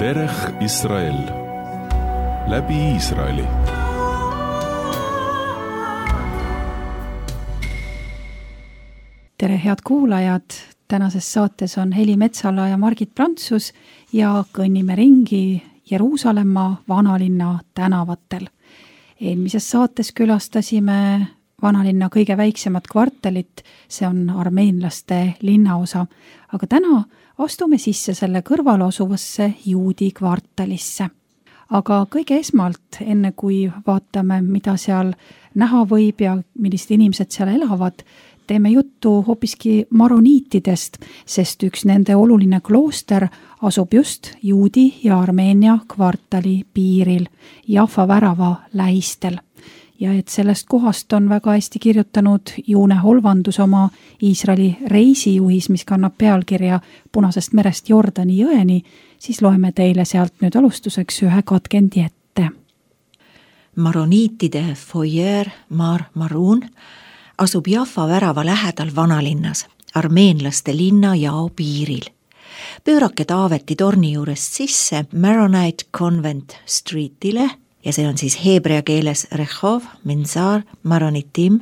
דרך ישראל, läbi Iisraeli. Tere head kuulajad, tänases saates on Heli Metsala ja Margit Prantsus ja kõnnime ringi Jeruusalemma vanalinna tänavatel. Eelmises saates külastasime vanalinna kõige väiksemat kvartalit, see on armeenlaste linnaosa, aga täna astume sisse selle kõrval asuvasse juudi kvartalisse. Aga kõige esmalt, enne kui vaatame, mida seal näha võib ja millised inimesed seal elavad, teeme juttu hoopiski maroniitidest, sest üks nende oluline klooster asub just juudi ja Armeenia kvartali piiril, Jaffa värava lähistel. Ja et sellest kohast on väga hästi kirjutanud Juune Holvandus oma Iisraeli reisijuhis, mis kannab pealkirja Punasest merest Jordani jõeni, siis loeme teile sealt nüüd alustuseks ühe katkendi ette. Maroniitide foyer Mar Maroon asub Jaffa värava lähedal vanalinnas, armeenlaste linnajao piiril. Pöörake Taaveti torni juurest sisse Maronite Convent Streetile, ja see on siis heebrea keeles Rehov, Menzar, Maronitim,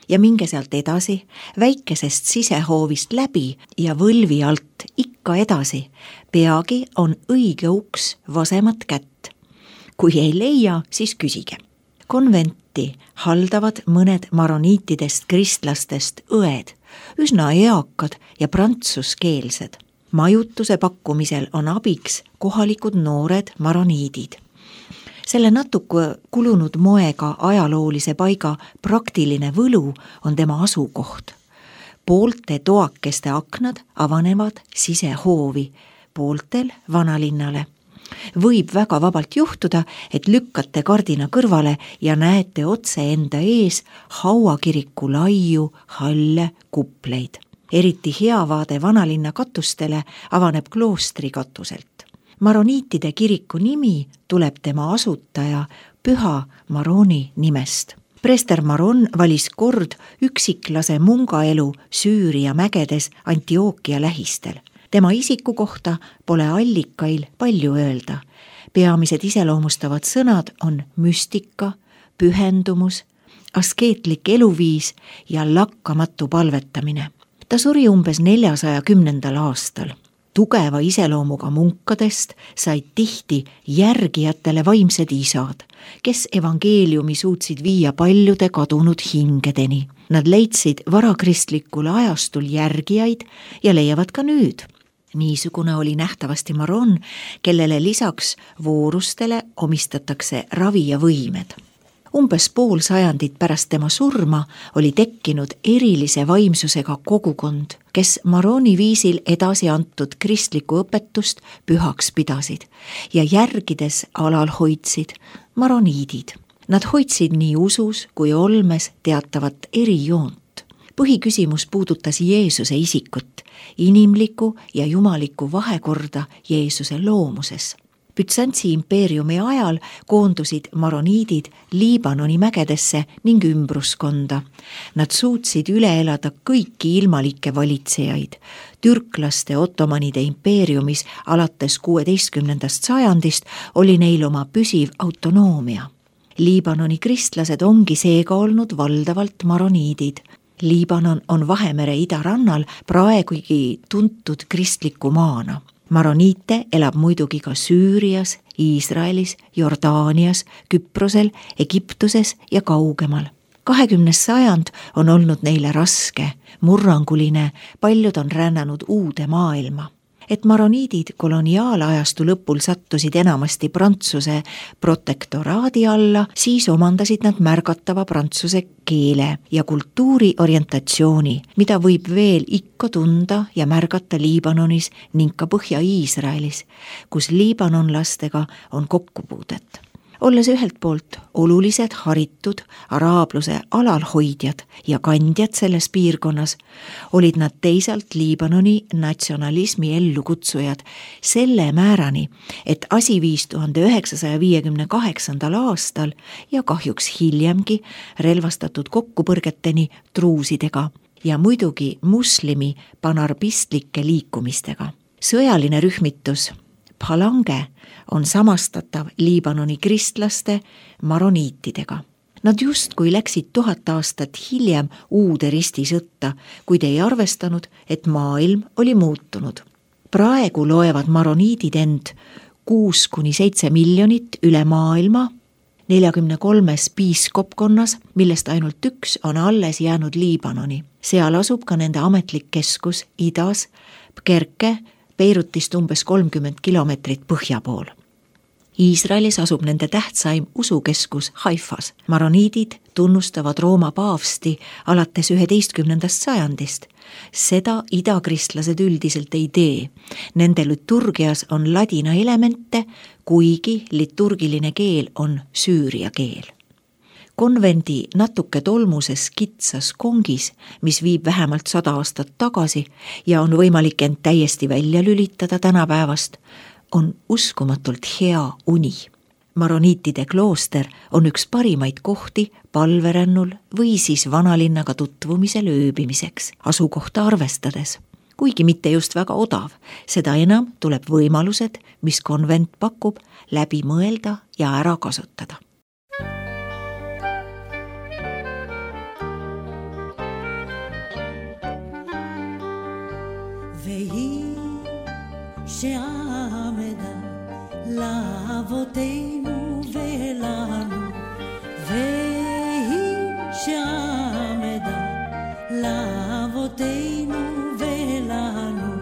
ja minge sealt edasi, väikesest sisehoovist läbi ja võlvi alt ikka edasi. Peagi on õige uks vasemat kätt. Kui ei leia, siis küsige. Konventi haldavad mõned maroniitidest kristlastest õed, üsna eakad ja prantsuskeelsed. Majutuse pakkumisel on abiks kohalikud noored maroniidid. Selle natuke kulunud moega ajaloolise paiga praktiline võlu on tema asukoht. Poolte toakeste aknad avanevad sisehoovi, pooltel vanalinnale. Võib väga vabalt juhtuda, et lükkate kardina kõrvale ja näete otse enda ees hauakiriku laiu, halle kupleid. Eriti hea vaade vanalinna katustele avaneb kloostri katuselt. Maroniitide kiriku nimi tuleb tema asutaja Püha Maroni nimest. Prester Maron valis kord üksiklase mungaelu Süüria mägedes Antiookia lähistel. Tema isiku kohta pole allikail palju öelda. Peamised iseloomustavad sõnad on müstika, pühendumus, askeetlik eluviis ja lakkamatu palvetamine. Ta suri umbes 410. aastal. Tugeva iseloomuga munkadest said tihti järgijatele vaimsed isad, kes evangeeliumi suutsid viia paljude kadunud hingedeni. Nad leidsid varakristlikul ajastul järgijaid ja leiavad ka nüüd. Niisugune oli nähtavasti Maron, kellele lisaks voorustele omistatakse ravi ja võimed. Umbes pool sajandit pärast tema surma oli tekkinud erilise vaimsusega kogukond, kes Maroni viisil edasi antud kristlikku õpetust pühaks pidasid ja järgides alal hoidsid maroniidid. Nad hoidsid nii usus kui olmes teatavat erijoont. Põhiküsimus puudutas Jeesuse isikut, inimliku ja jumaliku vahekorda Jeesuse loomuses. Bütsantsi impeeriumi ajal koondusid maroniidid Liibanoni mägedesse ning ümbruskonda. Nad suutsid üle elada kõiki ilmalikke valitsejaid. Türklaste ottomanide impeeriumis alates 16. sajandist oli neil oma püsiv autonoomia. Liibanoni kristlased ongi seega olnud valdavalt maroniidid. Liibanon on Vahemere idarannal praegugi tuntud kristliku maana. Maroniite elab muidugi ka Süürias, Iisraelis, Jordaanias, Küprosel, Egiptuses ja kaugemal. 20. sajand on olnud neile raske, murranguline, paljud on rännanud uude maailma. Et maroniidid koloniaalajastu lõpul sattusid enamasti Prantsuse protektoraadi alla, siis omandasid nad märgatava prantsuse keele ja kultuuri orientatsiooni, mida võib veel ikka tunda ja märgata Liibanonis ning ka Põhja-Iisraelis, kus liibanonlastega on kokkupuudet. olles ühelt poolt olulised haritud araabluse alalhoidjad ja kandjad selles piirkonnas, olid nad teisalt Liibanoni natsionalismi ellukutsujad selle määrani, et asi viis 1958. aastal ja kahjuks hiljemgi relvastatud kokkupõrgeteni druusidega ja muidugi muslimi panarbistlike liikumistega. Sõjaline rühmitus Phalange on samastatav Liibanoni kristlaste maroniitidega. Nad justkui läksid 1000 aastat hiljem uude ristisõtta, kuid ei arvestanud, et maailm oli muutunud. Praegu loevad maroniidid end 6–7 miljonit üle maailma, 43 piiskopkonnas, millest ainult üks on alles jäänud Liibanoni. Seal asub ka nende ametlik keskus idas, Pkerke, Beirutist umbes 30 kilomeetrit põhja pool. Iisraelis asub nende tähtsaim usukeskus Haifas. Maroniidid tunnustavad Rooma paavsti alates 11. sajandist. Seda idakristlased üldiselt ei tee. Nende liturgias on ladina elemente, kuigi liturgiline keel on süüria keel. Konvendi natuke tolmuses kitsas kongis, mis viib vähemalt 100 aastat tagasi ja on võimalik end täiesti välja lülitada tänapäevast, on uskumatult hea uni. Maroniitide klooster on üks parimaid kohti palverännul või siis vanalinnaga tutvumisel ööbimiseks, asukohta arvestades. Kuigi mitte just väga odav, seda enam tuleb võimalused, mis konvent pakub, läbi mõelda ja ära kasutada. שעמדה לאבותינו ולנו, והיא שעמדה לאבותינו ולנו,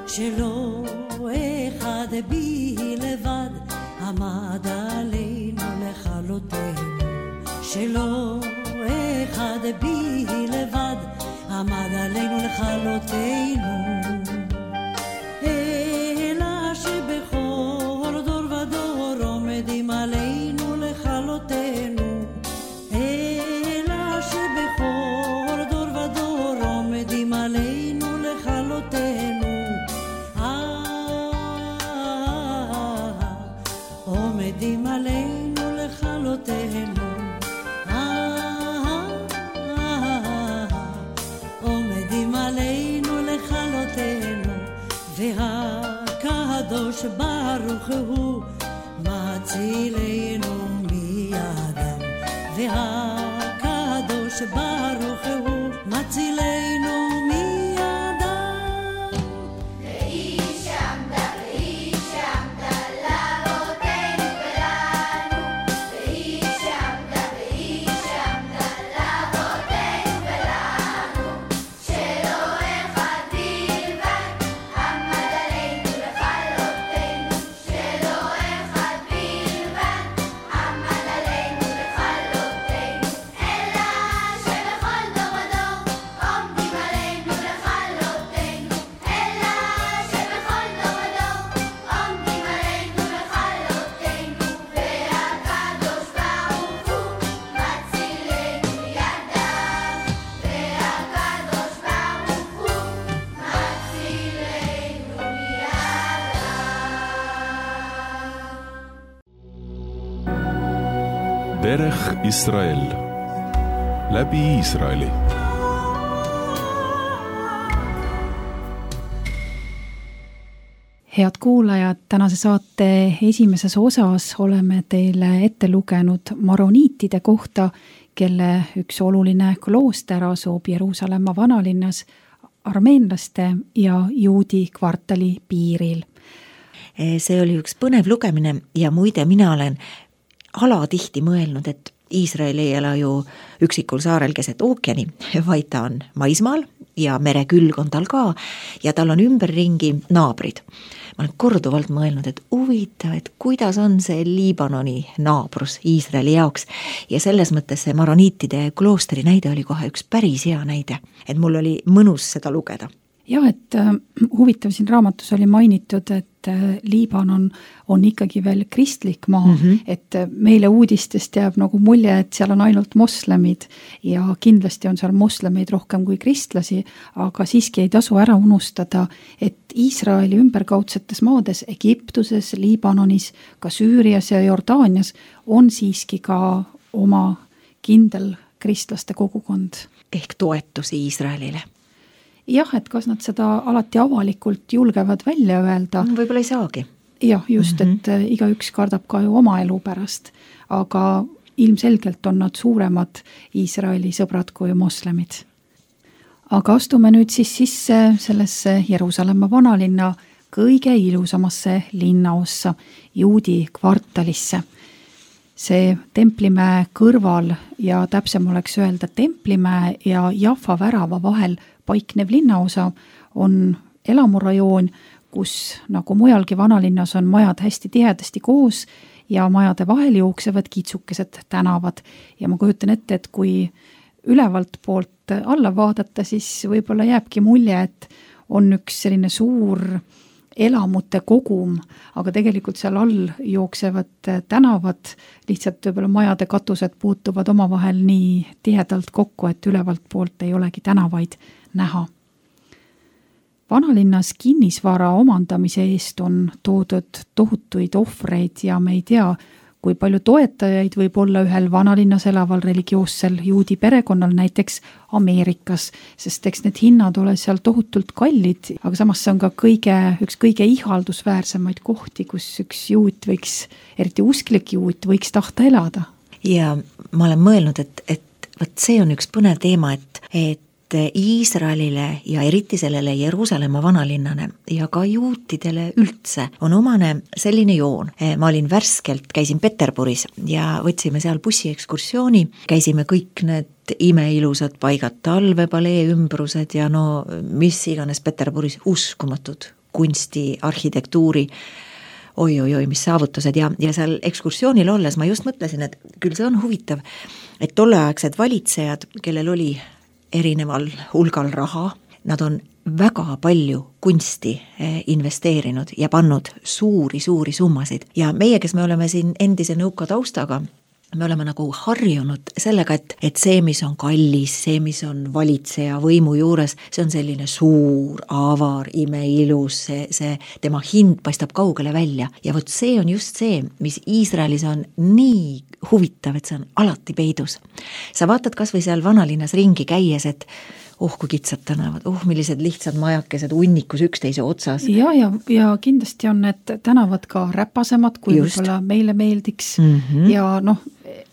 שלא אחד בלבד עמד עלינו לכלותנו, שלא אחד בלבד עמד עלינו לכלותנו. עלינו לכלותנו, אלא שבכל דור ודור עומדים עלינו לכלותנו, עומדים עלינו לכלותנו, עומדים עלינו לכלותנו, והקדוש ברוך הוא מצילנו מידם, והקדוש ברוך הוא מצילנו מידם. והיא שעמדה לאבותינו ולנו, והיא שעמדה לאבותינו ולנו, שלא אחד בלבד עמד עלינו לכלותנו, שלא אחד עמד עלינו לכלותנו, אלא שבכל דור ודור עומדים עלינו לכלותנו, אלא שבכל דור ודור עומדים עלינו לכלותנו, והקדוש ברוך הוא מצילנו מידם, והקדוש ברוך הוא מצילנו מידם. דרך ישראל, läbi Iisraeli. Head kuulajad, tänase saate esimeses osas oleme teile ette lugenud maroniitide kohta, kelle üks oluline klooster asub Jeruusalemma vanalinnas armeenlaste ja juudi kvartali piiril. See oli üks põnev lugemine ja muide mina olen alatihti mõelnud, et Iisrael ei ela ju üksikul saarel keset ookeani, vaid ta on maismaal ja merekülg on tal ka ja tal on ümberringi naabrid. Ma olen korduvalt mõelnud, et huvitav, et kuidas on see Liibanoni naabrus Iisraeli jaoks ja selles mõttes see maroniitide kloostri näide oli kohe üks päris hea näide, et mul oli mõnus seda lugeda. jah, et huvitav siin raamatus oli mainitud, et Liibanon on ikkagi veel kristlik maa, et meile uudistest jääb nagu mulje, et seal on ainult moslemid ja kindlasti on seal moslemeid rohkem kui kristlasi, aga siiski ei tasu ära unustada, et Iisraeli ümberkaudsetes maades, Egiptuses, Liibanonis, ka Süürias ja Jordaanias on siiski ka oma kindel kristlaste kogukond. Ehk toetus Iisraelile. Jah, et kas nad seda alati avalikult julgevad välja öelda. Võib-olla ei saagi. Jah, just, et igaüks kardab ka ju oma elu pärast, aga ilmselgelt on nad suuremad Iisraeli sõbrad kui moslemid. Aga astume nüüd siis sisse sellesse Jeruusalemma vanalinna kõige ilusamasse linnaossa, juudi kvartalisse. See Templimäe kõrval ja täpsem oleks öelda Templimäe ja Jaffa värava vahel paiknev linnaosa on elamurajoon, kus nagu mujalgi vanalinnas on majad hästi tihedasti koos ja majade vahel jooksevad kitsukesed tänavad. Ja ma kujutan ette, et kui ülevalt poolt alla vaadata, siis võib-olla jääbki mulje, et on üks selline suur elamute kogum, aga tegelikult seal all jooksevad tänavad, lihtsalt võib-olla majade katused puutuvad omavahel nii tihedalt kokku, et ülevalt poolt ei olegi tänavaid näha. Vanalinnas kinnisvara omandamise eest on toodud tohutuid ohvreid ja me ei tea, kui palju toetajaid võib olla ühel vanalinnas elaval religioossel juudi perekonnal näiteks Ameerikas, sest eks need hinnad ole seal tohutult kallid, aga samas see on ka üks kõige ihaldusväärsemaid kohti, kus üks juut võiks, eriti usklik juut, võiks tahta elada. Ja ma olen mõelnud, et võt see on üks põnev teema, et Iisraelile ja eriti sellele Jeruusalemma vanalinnane ja ka juutidele üldse on omane selline joon. Ma olin värskelt, käisin Peterburis ja võtsime seal bussiekskursiooni, käisime kõik need imeilusad paigad, talvepalee ümbrused ja no mis iganes Peterburis uskumatud kunsti, arhitektuuri, oi, mis saavutused ja seal ekskursioonil olles ma just mõtlesin, et küll see on huvitav, et tolleaegsed valitsejad, kellel oli erineval hulgal raha, nad on väga palju kunsti investeerinud ja pannud suuri summasid. Ja meie, kes me oleme siin endise nõuka taustaga, me oleme nagu harjunud sellega, et see, mis on kallis, see, mis on valitseja võimu juures, see on selline suur, avar, imeilus, see tema hind paistab kaugele välja. Ja vot see on just see, mis Iisraelis on nii huvitav, et see on alati peidus. Sa vaatad kas või seal vanalinnas ringi käies, et kui kitsad tänavad, millised lihtsad majakesed unnikus üksteise otsas. Ja kindlasti on need tänavad ka räpasemad, kui võib-olla meile meeldiks. Ja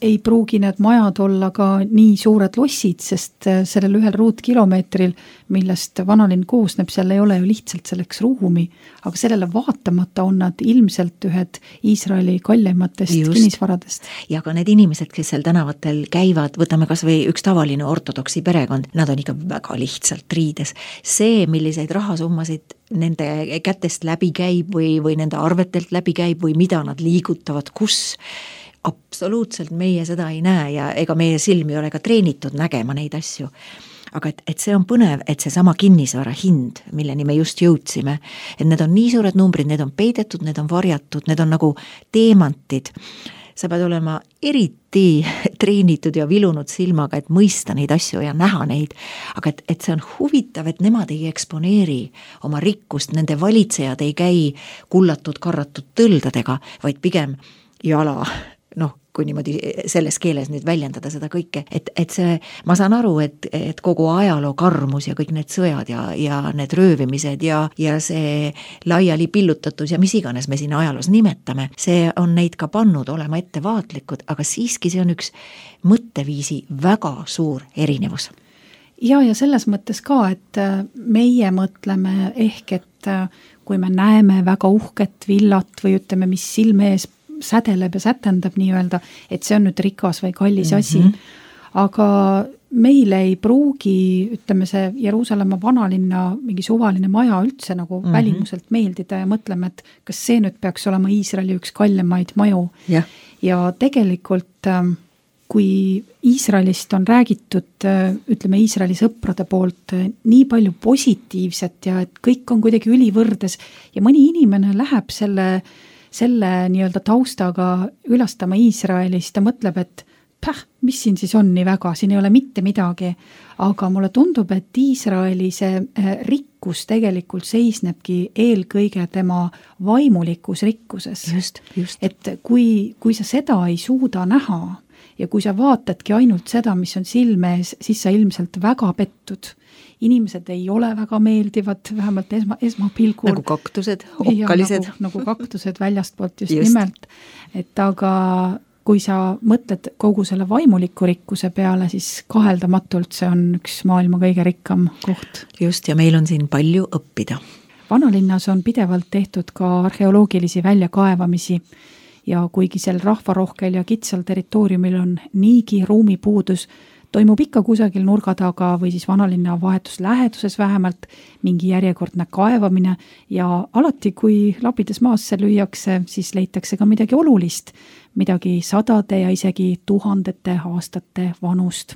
ei pruugi need majad olla ka nii suured lossid, sest sellel ühel ruutkilomeetril, millest vanalinn koosneb, seal ei ole ju lihtsalt selleks ruumi, aga sellele vaatamata on nad ilmselt ühed Iisraeli kallimatest kinnisvaradest. Ja ka need inimesed, kes seal tänavatel käivad, võtame kas või üks tavaline ortodoksi perekond, nad on ikka väga lihtsalt riides. See, milliseid rahasummasid nende kätest läbi käib või nende arvetelt läbi käib või mida nad liigutavad, kus absoluutselt meie seda ei näe ja ega meie silmi ei ole ka treenitud nägema neid asju. Aga et see on põnev, et see sama kinnisvara hind, milleni me just jõudsime, et need on nii suured numbrid, need on peidetud, need on varjatud, need on nagu teemantid. Sa pead olema eriti treenitud ja vilunud silmaga, et mõista neid asju ja näha neid. Aga et see on huvitav, et nemad ei eksponeeri oma rikkust, nende valitsejad ei käi kullatud, karratud tõldadega, vaid pigem jala, kui niimoodi selles keeles nüüd väljendada seda kõike, et see, ma saan aru, et kogu ajaloo karmus ja kõik need sõjad ja need röövimised ja see laiali pillutatus ja mis iganes me siin ajaloos nimetame, see on neid ka pannud olema ettevaatlikud, aga siiski see on üks mõtteviisi väga suur erinevus. Ja selles mõttes ka, et meie mõtleme ehk, et kui me näeme väga uhket villat või ütleme, mis silme ees sädeleb ja sätendab nii-öelda, et see on nüüd rikas või kallis asi. Aga meile ei pruugi, ütleme see Jeruusalemma vanalinna mingi suvaline maja üldse nagu välimuselt meeldida ja mõtleme, et kas see nüüd peaks olema Iisraeli üks kallimaid maju. Ja tegelikult kui Iisraelist on räägitud, ütleme Iisraeli sõprade poolt nii palju positiivset ja et kõik on kuidagi ülivõrdes ja mõni inimene läheb selle nii-öelda taustaga külastama Iisraeli, siis ta mõtleb, et mis siin siis on nii väga, siin ei ole mitte midagi, aga mulle tundub, et Iisraeli see rikkus tegelikult seisnebki eelkõige tema vaimulikus rikkuses. Just. Et kui sa seda ei suuda näha ja kui sa vaatadki ainult seda, mis on silme ees, siis sa ilmselt väga pettud. Inimesed ei ole väga meeldivad, vähemalt esmapilgul. Nagu kaktused, okkalised. Nagu kaktused väljastpoolt just nimelt. Et aga kui sa mõtled kogu selle vaimuliku rikkuse peale, siis kaheldamatult see on üks maailma kõige rikkam koht. Just, ja meil on siin palju õppida. Vanalinnas on pidevalt tehtud ka arheoloogilisi väljakaevamisi ja kuigi sel rahvarohkel ja kitsal territooriumil on niigi ruumipuudus, toimub ikka kusagil nurga taga või siis vanalinna vahetus läheduses vähemalt mingi järjekordne kaevamine ja alati, kui labides maasse lüüakse, siis leitakse ka midagi olulist, midagi sadade ja isegi tuhandete aastate vanust.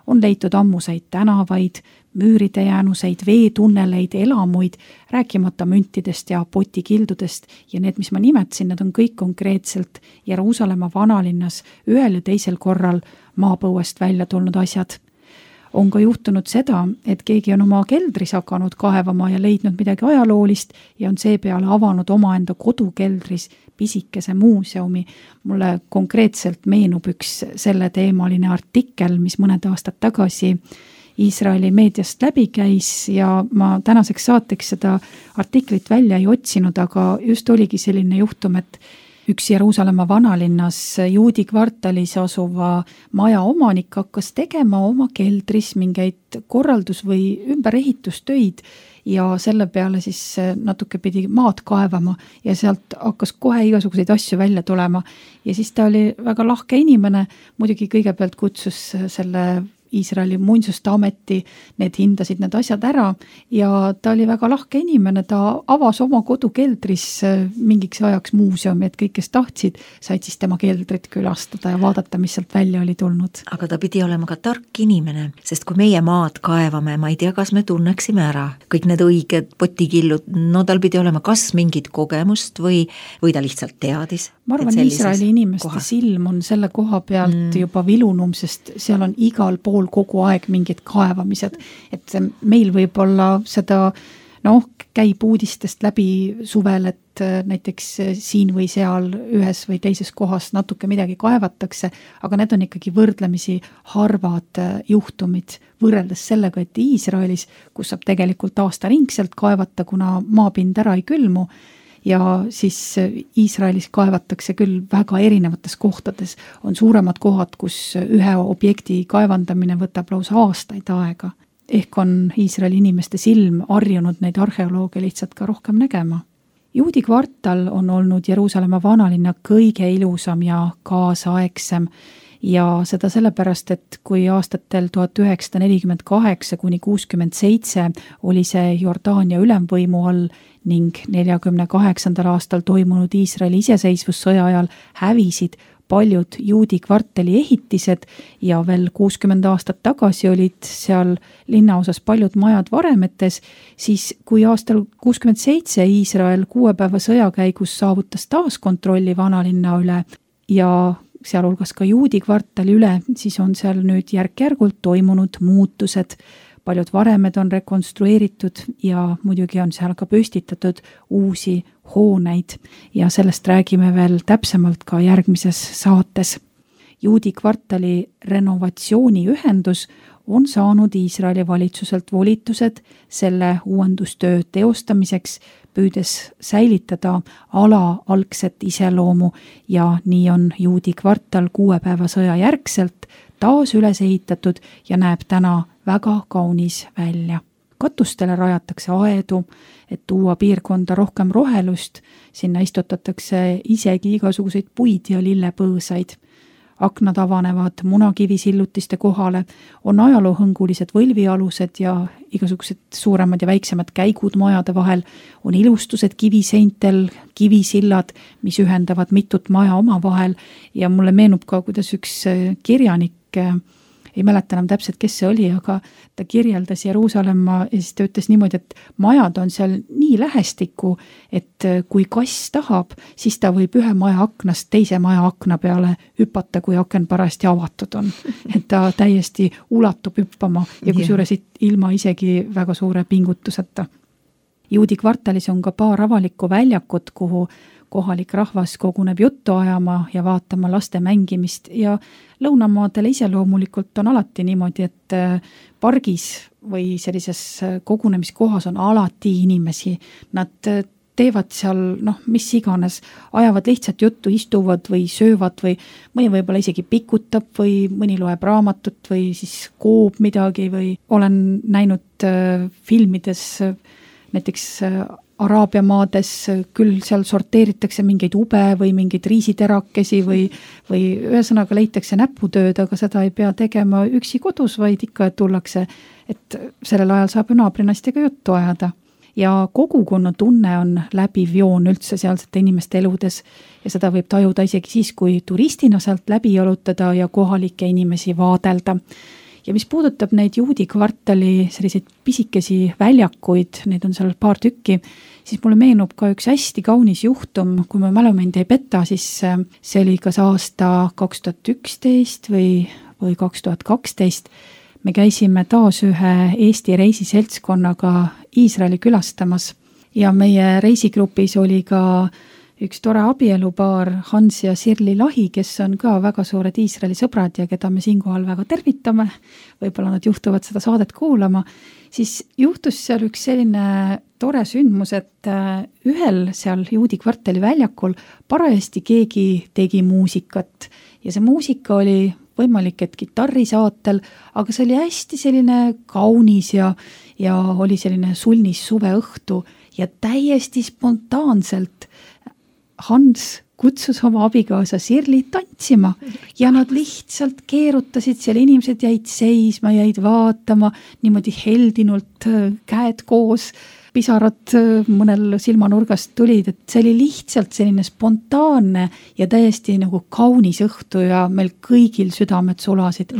On leitud ammuseid tänavaid, müüride jäänuseid, veetunneleid, elamuid, rääkimata müntidest ja potikildudest ja need, mis ma nimetasin, need on kõik konkreetselt Jeruusalemma vanalinnas ühel ja teisel korral maapõuest välja tulnud asjad. On ka juhtunud seda, et keegi on oma keldris hakanud kaevama ja leidnud midagi ajaloolist ja on seepeale avanud omaenda kodukeldris pisikese muuseumi. Mulle konkreetselt meenub üks selle teemaline artikkel, mis mõned aastad tagasi Iisraeli meediast läbi käis ja ma tänaseks saateks seda artiklit välja ei otsinud, aga just oligi selline juhtum, et üks Jeruusalemma vanalinnas juudi kvartalis asuva maja omanik hakkas tegema oma keldris mingeid korraldus- või ümberehitustöid ja selle peale siis natuke pidi maad kaevama ja sealt hakkas kohe igasuguseid asju välja tulema. Ja siis ta oli väga lahke inimene, muidugi kõigepealt kutsus selle Iisraeli muinsuste ameti, need hindasid need asjad ära ja ta oli väga lahke inimene, ta avas oma kodukeldris mingiks ajaks muuseumi, et kõik, kes tahtsid, said siis tema keldrit külastada ja vaadata, mis sealt välja oli tulnud. Aga ta pidi olema ka tark inimene, sest kui meie maad kaevame, ma ei tea, kas me tunneksime ära kõik need õiged potikillud, no tal pidi olema kas mingit kogemust või ta lihtsalt teadis. Ma arvan, Iisraeli inimeste silm on selle koha pealt juba vilunum, sest seal on igal pool kogu aeg mingid kaevamised, et meil võib-olla seda, käib uudistest läbi suvel, et näiteks siin või seal ühes või teises kohas natuke midagi kaevatakse, aga need on ikkagi võrdlemisi harvad juhtumid võrreldes sellega, et Iisraelis, kus saab tegelikult aastaringselt kaevata, kuna maapind ära ei külmu, ja siis Iisraelis kaevatakse küll väga erinevates kohtades. On suuremad kohad, kus ühe objekti kaevandamine võtab lausa aastaid aega. Ehk on Iisraeli inimeste silm harjunud neid arheolooge lihtsalt ka rohkem nägema. Juudi kvartal on olnud Jeruusalemma vanalinna kõige ilusam ja kaasaegsem ja seda sellepärast, et kui aastatel 1948 kuni 67 oli see Jordaania ülemvõimu all ning 48. aastal toimunud Iisraeli iseseisvussõja ajal hävisid paljud juudi kvartali ehitised ja veel 60 aastat tagasi olid seal linnaosas paljud majad varemetes, siis kui aastal 67 Iisrael 6 päeva sõja käigus saavutas taas kontrolli vanalinna üle ja sealhulgas ka juudi kvartali üle, siis on seal nüüd järk-järgult toimunud muutused. Paljud varemed on rekonstrueeritud ja muidugi on seal ka püstitatud uusi hooneid ja sellest räägime veel täpsemalt ka järgmises saates. Juudi kvartali renovatsiooniühendus on saanud Iisraeli valitsuselt volitused selle uuendustöö teostamiseks, püüdes säilitada ala algset iseloomu ja nii on juudi kvartal 6 päeva sõja järgselt taas üles ehitatud ja näeb täna väga kaunis välja. Katustele rajatakse aedu, et tuua piirkonda rohkem rohelust, sinna istutatakse isegi igasuguseid puid ja lillepõõsaid. aknad avanevad munakivisillutiste kohale, on ajaloohõngulised võlvialused ja igasugused suuremad ja väiksemad käigud majade vahel, on ilustused kiviseintel, kivisillad, mis ühendavad mitut maja omavahel ja mulle meenub ka, kuidas üks kirjanik, ei mäleta enam täpselt, kes see oli, aga ta kirjeldas Jeruusalemma ja siis ta ütles niimoodi, et majad on seal nii lähestikku, et kui kass tahab, siis ta võib ühe maja aknast teise maja akna peale hüpata, kui aken parajasti avatud on. Et ta täiesti ulatub hüppama ja kusjuures ilma isegi väga suure pingutuseta. Juudi kvartalis on ka paar avalikku väljakut, kuhu kohalik rahvas koguneb juttu ajama ja vaatama laste mängimist ja lõunamaadele ise loomulikult on alati niimoodi, et pargis või sellises kogunemiskohas on alati inimesi. Nad teevad seal, mis iganes, ajavad lihtsalt juttu, istuvad või söövad või mõni võib-olla isegi pikutab või mõni loeb raamatut või siis koob midagi või olen näinud filmides näiteks Araabia maades küll seal sorteeritakse mingeid ube või mingeid riisiterakesi või ühesõnaga leitakse näputööd, aga seda ei pea tegema üksi kodus, vaid ikka tullakse, et sellel ajal saab naabrinastega juttu ajada. Ja kogukonna tunne on läbiv joon üldse sealsete inimeste eludes ja seda võib tajuda isegi siis, kui turistina sealt läbi jalutada ja kohalikke inimesi vaadelda. Ja mis puudutab neid Juudi kvartali selliseid pisikesi väljakuid, neid on seal paar tükki, siis mulle meenub ka üks hästi kaunis juhtum, kui ma mälumind ei peta, siis see oli kas aasta 2011 või 2012. Me käisime taas ühe Eesti reisiseltskonnaga Iisraeli külastamas ja meie reisigrupis oli ka üks tore abielupaar Hans ja Sirli Lahi, kes on ka väga suured Iisraeli sõbrad ja keda me siinkohal väga tervitame, võib-olla nad juhtuvad seda saadet kuulama, siis juhtus seal üks selline tore sündmus, et ühel seal Juudi kvartali väljakul parajasti keegi tegi muusikat ja see muusika oli võimalik, et kitarrisaatel, aga see oli hästi selline kaunis ja oli selline sulnis suveõhtu ja täiesti spontaanselt Hans kutsus oma abikaasa Sirli tantsima ja nad lihtsalt keerutasid seal, inimesed jäid seisma, jäid vaatama, niimoodi heldinult käed koos, pisarad mõnel silmanurgast tulid, et see oli lihtsalt selline spontaanne ja täiesti nagu kaunis õhtu ja meil kõigil südamed sulasid.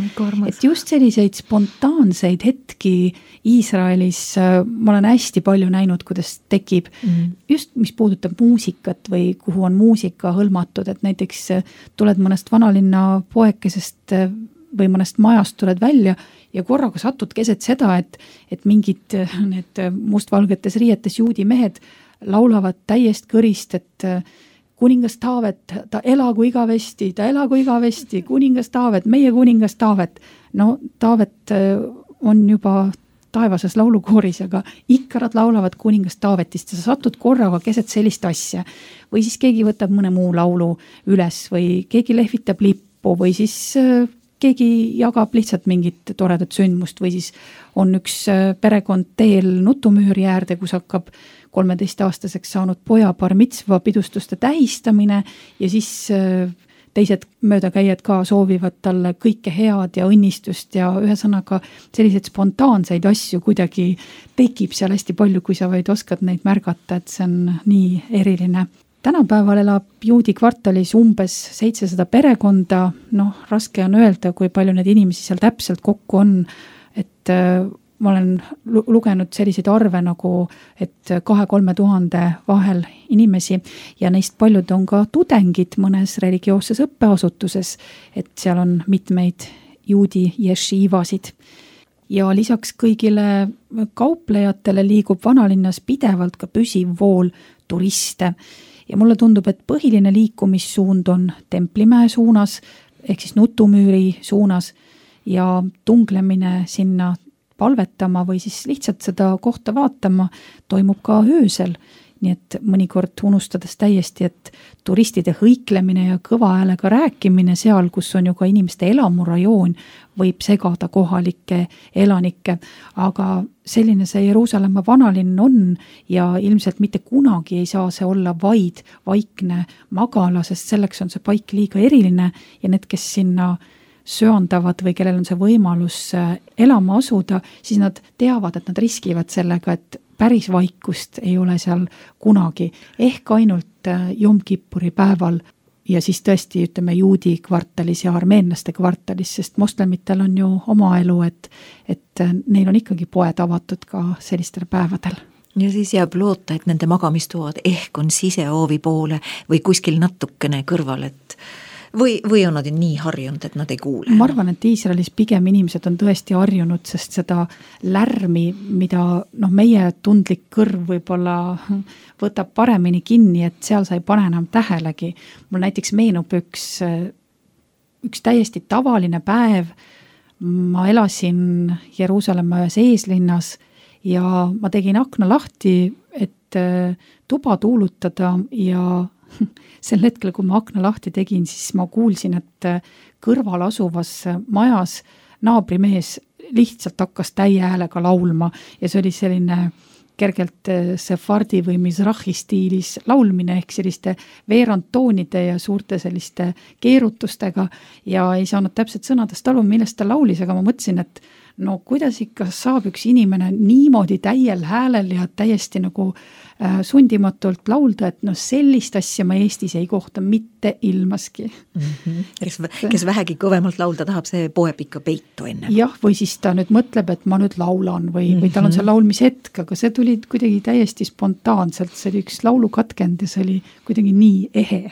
Et just selliseid spontaanseid hetki Iisraelis ma olen hästi palju näinud, kuidas tekib just mis puudutab muusikat või kuhu on muusika hõlmatud, et näiteks tuled mõnest vanalinna poekesest või mõnest majast tuled välja ja korraga satud keset seda, et mingid need mustvalgetes riietes juudi mehed laulavad täiest kõrist, et kuningas Taavet, ta elagu igavesti, kuningas Taavet, meie kuningas Taavet. No Taavet on juba taevases laulukooris, aga ikka nad laulavad kuningas Taavetist ja sa satud korraga keset sellist asja. Või siis keegi võtab mõne muu laulu üles või keegi lehvitab lippu või siis keegi jagab lihtsalt mingit toredat sündmust või siis on üks perekond teel nutumüüri äärde, kus hakkab 13-aastaseks saanud poja bar mitzva pidustuste tähistamine ja siis teised möödakäijad ka soovivad talle kõike head ja õnnistust ja ühesõnaga selliseid spontaanseid asju kuidagi tekib seal hästi palju, kui sa vaid oskad neid märgata, et see on nii eriline. Tänapäeval elab Juudi kvartalis umbes 700 perekonda, raske on öelda, kui palju need inimesi seal täpselt kokku on, et ma olen lugenud selliseid arve nagu, et 2-3 tuhande vahel inimesi ja neist paljud on ka tudengid mõnes religioosses õppeasutuses, et seal on mitmeid juudi jeshiivasid. Ja lisaks kõigile kauplejatele liigub vanalinnas pidevalt ka püsiv vool turiste. Ja mulle tundub, et põhiline liikumissuund on Templimäe suunas, ehk siis Nutumüüri suunas ja tunglemine sinna palvetama või siis lihtsalt seda kohta vaatama toimub ka öösel. nii et mõnikord unustades täiesti, et turistide hõiklemine ja kõva häälega rääkimine seal, kus on ju ka inimeste elamurajoon, võib segada kohalikke elanikke, aga selline see Jeruusalemma vanalinn on ja ilmselt mitte kunagi ei saa see olla vaid vaikne magala, sest selleks on see paik liiga eriline ja need, kes sinna söandavad või kellel on see võimalus elama asuda, siis nad teavad, et nad riskivad sellega, et päris vaikust ei ole seal kunagi, ehk ainult Jom Kippuri päeval ja siis tõesti ütleme juudi kvartalis ja armeenlaste kvartalis, sest moslemitel on ju oma elu, et neil on ikkagi poed avatud ka sellistel päevadel. Ja siis jääb loota, et nende magamistoad ehk on sisehoovi poole või kuskil natukene kõrval, et või on nad nii harjunud, et nad ei kuule? Ma arvan, et Iisraelis pigem inimesed on tõesti harjunud, sest seda lärmi, mida meie tundlik kõrv võib-olla võtab paremini kinni, et seal sa ei pane enam tähelegi. Mul näiteks meenub üks täiesti tavaline päev. Ma elasin Jeruusalemma ühes eeslinnas ja ma tegin akna lahti, et tuba tuulutada ja sel hetkel, kui ma akna lahti tegin, siis ma kuulsin, et kõrval asuvas majas naabrimees lihtsalt hakkas täie häälega laulma ja see oli selline kergelt sefardi või mizrahi stiilis laulmine ehk selliste veerandtoonide ja suurte selliste keerutustega ja ei saanud täpselt sõnadest aru, millest ta laulis, aga ma mõtlesin, et no kuidas ikka saab üks inimene niimoodi täiel häälel ja täiesti nagu sundimatult laulda, et sellist asja ma Eestis ei kohta mitte ilmaski. Kes vähegi kõvemalt laulda tahab, see poeb ikka peitu enne. Jah, või siis ta nüüd mõtleb, et ma nüüd laulan või tal on see laulmishetk, aga see tuli kuidagi täiesti spontaanselt, see oli üks laulukatkend ja see oli kuidagi nii ehe.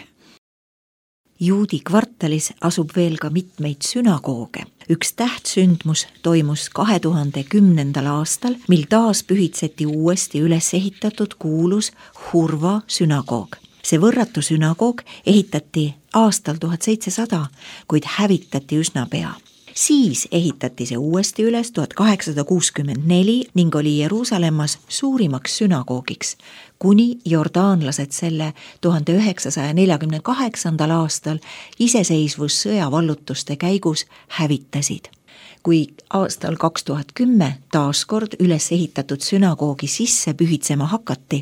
Juudi kvartalis asub veel ka mitmeid sünagooge. Üks tähtsündmus toimus 2010. aastal, mil taas pühitseti uuesti üles ehitatud kuulus Hurva sünagoog. See võrratu sünagoog ehitati aastal 1700, kuid hävitati üsna pea. Siis ehitati see uuesti üles 1864 ning oli Jeruusalemmas suurimaks sünagoogiks, kuni jordaanlased selle 1948. aastal iseseisvussõja vallutuste käigus hävitasid. Kui aastal 2010 taaskord üles ehitatud sünagoogi sisse pühitsema hakati,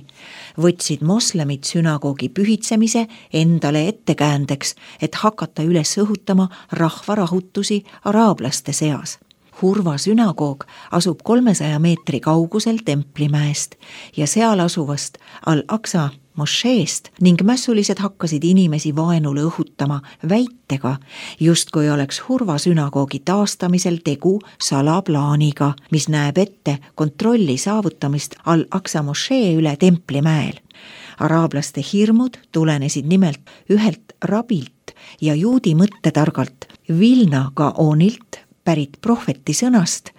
võtsid moslemid sünagoogi pühitsemise endale ettekäändeks, et hakata üles õhutama rahvarahutusi araablaste seas. Hurva sünagoog asub 300 meetri kaugusel Templimäest ja seal asuvast Al-Aqsa mošeest ning mässulised hakkasid inimesi vaenule õhutama väitega, justkui oleks Hurva sünagoogi taastamisel tegu salaplaaniga, mis näeb ette kontrolli saavutamist Al-Aqsa mošee üle Templimäel. Araablaste hirmud tulenesid nimelt ühelt rabilt ja juudi mõttetargalt Vilna Gaonilt pärit prohveti sõnast,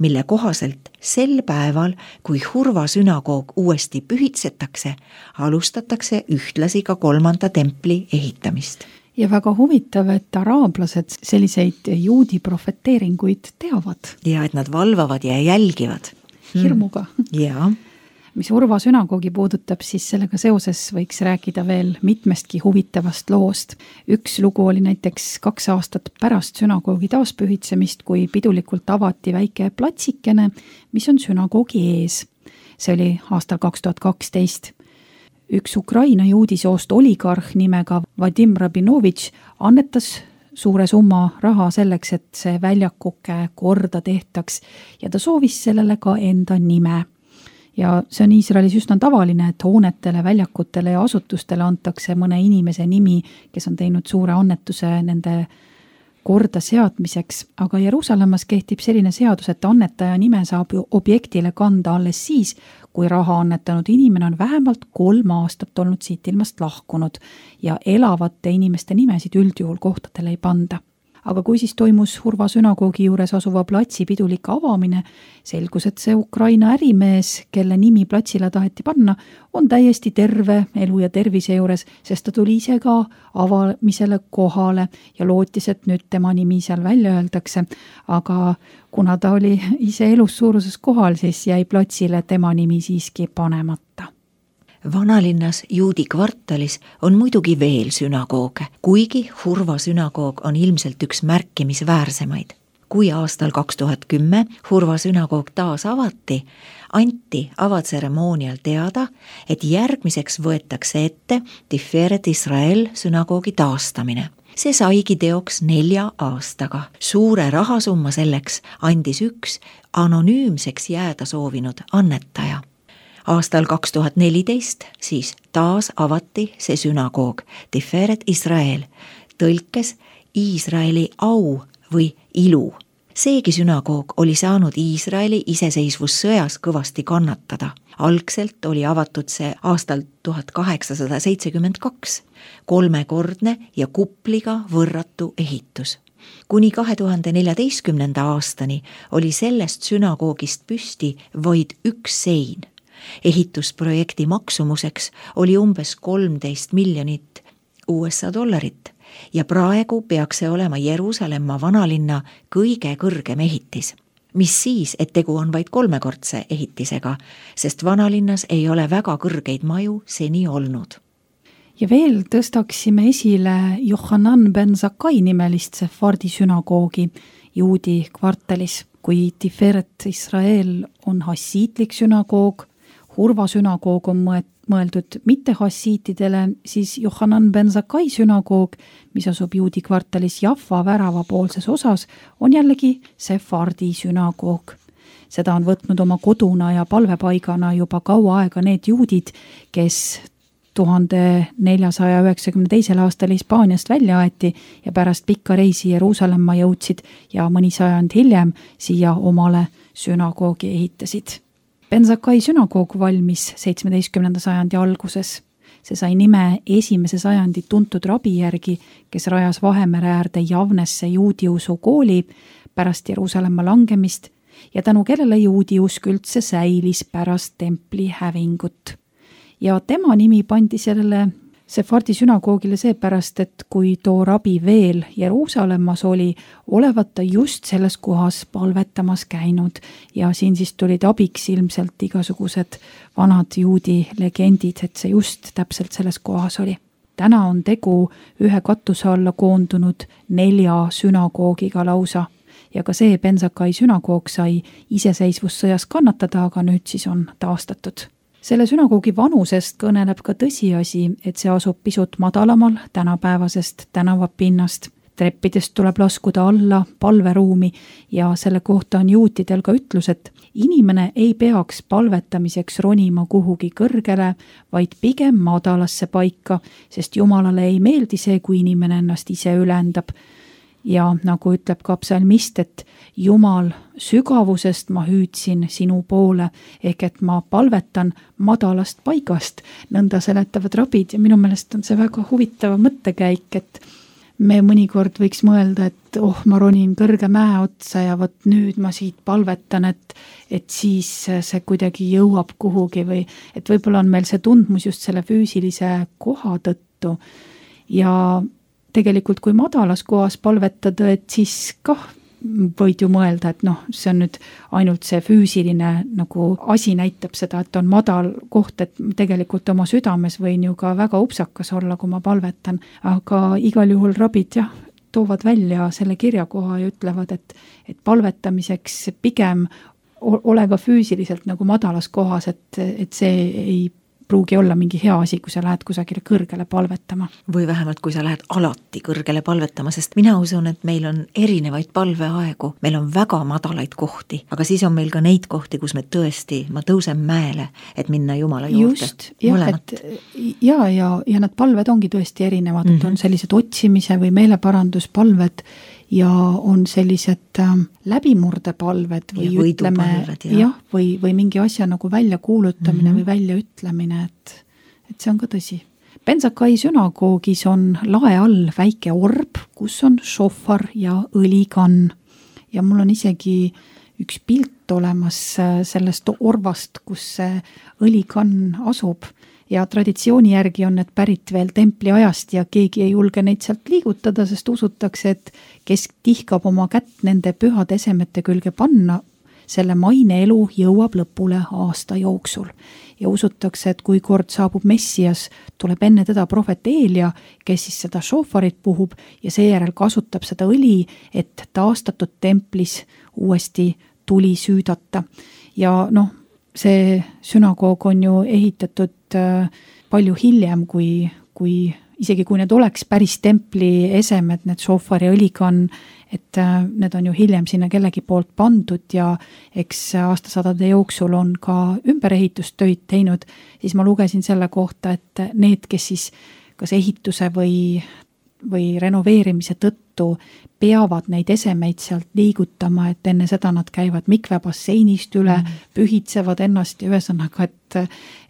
mille kohaselt sel päeval, kui Hurva sünagoog uuesti pühitsetakse, alustatakse ühtlasi ka 3. templi ehitamist. Ja väga huvitav, et araablased selliseid juudi profeteeringuid teavad. Ja et nad valvavad ja jälgivad. Hirmuga. Jaa. Mis Hurva sünagoogi puudutab, siis sellega seoses võiks rääkida veel mitmestki huvitavast loost. Üks lugu oli näiteks 2 aastat pärast sünagoogi taaspühitsemist, kui pidulikult avati väike platsikene, mis on sünagoogi ees. See oli aastal 2012. Üks Ukraina juudisoost oligarh nimega Vadim Rabinovitš annetas suure summa raha selleks, et see väljakuke korda tehtaks ja ta soovis sellele ka enda nime. Ja see on Iisraelis üsna tavaline, et hoonetele, väljakutele ja asutustele antakse mõne inimese nimi, kes on teinud suure annetuse nende korda seadmiseks, aga Jeruusalemmas kehtib selline seadus, et annetaja nime saab objektile kanda alles siis, kui raha annetanud inimene on vähemalt 3 aastat olnud siit ilmast lahkunud ja elavate inimeste nimesid üldjuhul kohtadele ei panda. Aga kui siis toimus Hurva sünagoogi juures asuva platsi pidulik avamine, selgus, et see Ukraina ärimees, kelle nimi platsile taheti panna, on täiesti terve elu ja tervise juures, sest ta tuli ise ka avamisele kohale ja lootis, et nüüd tema nimi seal välja öeldakse, aga kuna ta oli ise elus suuruses kohal, siis jäi platsile tema nimi siiski panemata. Vanalinnas juudi kvartalis on muidugi veel sünagooge, kuigi Hurva sünagoog on ilmselt üks märkimisväärsemaid. Kui aastal 2010 Hurva sünagoog taas avati, anti avatseremoonial teada, et järgmiseks võetakse ette Tiferet Israel sünagoogi taastamine. See saigi teoks 4 aastaga. Suure rahasumma selleks andis üks anonüümseks jääda soovinud annetaja. Aastal 2014 siis taas avati see sünagoog Tiferet Israel, tõlkes Iisraeli au või ilu. Seegi sünagoog oli saanud Iisraeli iseseisvussõjas kõvasti kannatada. Algselt oli avatud see aastal 1872, 3-kordne ja kupliga võrratu ehitus. Kuni 2014. aastani oli sellest sünagoogist püsti vaid üks sein. Ehitusprojekti maksumuseks oli umbes 13 miljonit USA dollarit ja praegu peaks see olema Jeruusalemma vanalinna kõige kõrgem ehitis. Mis siis, et tegu on vaid 3-kordse ehitisega, sest vanalinnas ei ole väga kõrgeid maju seni olnud. Ja veel tõstaksime esile Yohanan ben Zakkai nimelist Sefardi sünagoogi juudi kvartalis. Kui Tiferet Israel on hassiitlik sünagoog, Hurva sünagoog on mõeldud mitte hassiitidele, siis Yohanan ben Zakkai sünagoog, mis asub juudi kvartalis Jaffa värava poolses osas, on jällegi Sefardi sünagoog. Seda on võtnud oma koduna ja palvepaigana juba kaua aega need juudid, kes 1492. aastal Hispaaniast välja aeti ja pärast pikka reisi Jeruusalemma jõudsid ja mõni sajand hiljem siia omale sünagoogi ehitasid. Ben Zakkai sünagoog valmis 17. sajandi alguses. See sai nime 1. sajandi tuntud rabi järgi, kes rajas Vahemere äärde Javnesse juudiusu kooli pärast Jeruusalemma langemist ja tänu kellele juudiusk üldse säilis pärast templi hävingut. Ja tema nimi pandi sellele Sefardi sünagoogile seepärast, et kui too rabi veel Jeruusalemmas oli, olevat ta just selles kohas palvetamas käinud ja siin siis tulid abiks ilmselt igasugused vanad juudi legendid, et see just täpselt selles kohas oli. Täna on tegu ühe katuse alla koondunud 4 sünagoogiga lausa ja ka see Ben Zakkai sünagoog sai iseseisvussõjas kannatada, aga nüüd siis on taastatud. Selle sünagoogi vanusest kõneleb ka tõsiasi, et see asub pisut madalamal tänapäevasest tänavapinnast. Treppidest tuleb laskuda alla palveruumi ja selle kohta on juutidel ka ütlus, et inimene ei peaks palvetamiseks ronima kuhugi kõrgele, vaid pigem madalasse paika, sest Jumalale ei meeldi see, kui inimene ennast ise ülendab. Ja nagu ütleb ka psalmist, et Jumal, sügavusest ma hüüdsin sinu poole, ehk et ma palvetan madalast paigast, nõnda seletavad rabid ja minu meelest on see väga huvitav mõttekäik, et me mõnikord võiks mõelda, et ma ronin kõrge mäe otsa ja vot nüüd ma siit palvetan, et siis see kuidagi jõuab kuhugi või et võib-olla on meil see tundmus just selle füüsilise koha tõttu ja tegelikult kui madalas kohas palvetada, et siis kah võid ju mõelda, et see on nüüd ainult see füüsiline nagu asi näitab seda, et on madal koht, et tegelikult oma südames võin ju ka väga upsakas olla, kui ma palvetan, aga igal juhul rabid toovad välja selle kirjakoha ja ütlevad, et palvetamiseks pigem ole ka füüsiliselt nagu madalas kohas, et see ei pruugi olla mingi hea asi, kui sa lähed kusagile kõrgele palvetama. Või vähemalt, kui sa lähed alati kõrgele palvetama, sest mina usun, et meil on erinevaid palveaegu, meil on väga madalaid kohti, aga siis on meil ka neid kohti, kus me tõesti, ma tõusen mäele, et minna Jumala juurde. Just, jah, ja need palved ongi tõesti erinevad, et on sellised otsimise või meeleparanduspalved ja on sellised läbimurdepalved või ütleme, või mingi asja nagu välja kuulutamine või välja ütlemine, et see on ka tõsi. Ben Zakkai sünagoogis on lae all väike orb, kus on šofar ja õlikann ja mul on isegi üks pilt olemas sellest orvast, kus see õlikann asub ja traditsiooni järgi on need pärit veel templi ajast ja keegi ei julge neid sealt liigutada, sest usutakse, et kes tihkab oma kätt nende pühade esemete külge panna, selle maine elu jõuab lõpule aasta jooksul. Ja usutakse, et kui kord saabub Messias, tuleb enne teda prohvet Eelia, kes siis seda šofarit puhub ja seejärel kasutab seda õli, et taastatud templis uuesti tuli süüdata. Ja see sünagoog on ju ehitatud palju hiljem, isegi kui need oleks päris templi esemed, need šofari õlikann, et need on ju hiljem sinna kellegi poolt pandud ja eks aastasadade jooksul on ka ümberehitustöid teinud, siis ma lugesin selle kohta, et need, kes siis kas ehituse või renoveerimise tõttu peavad neid esemeid sealt liigutama, et enne seda nad käivad mikvebasseinist üle, pühitsevad ennast ja ühesõnaga,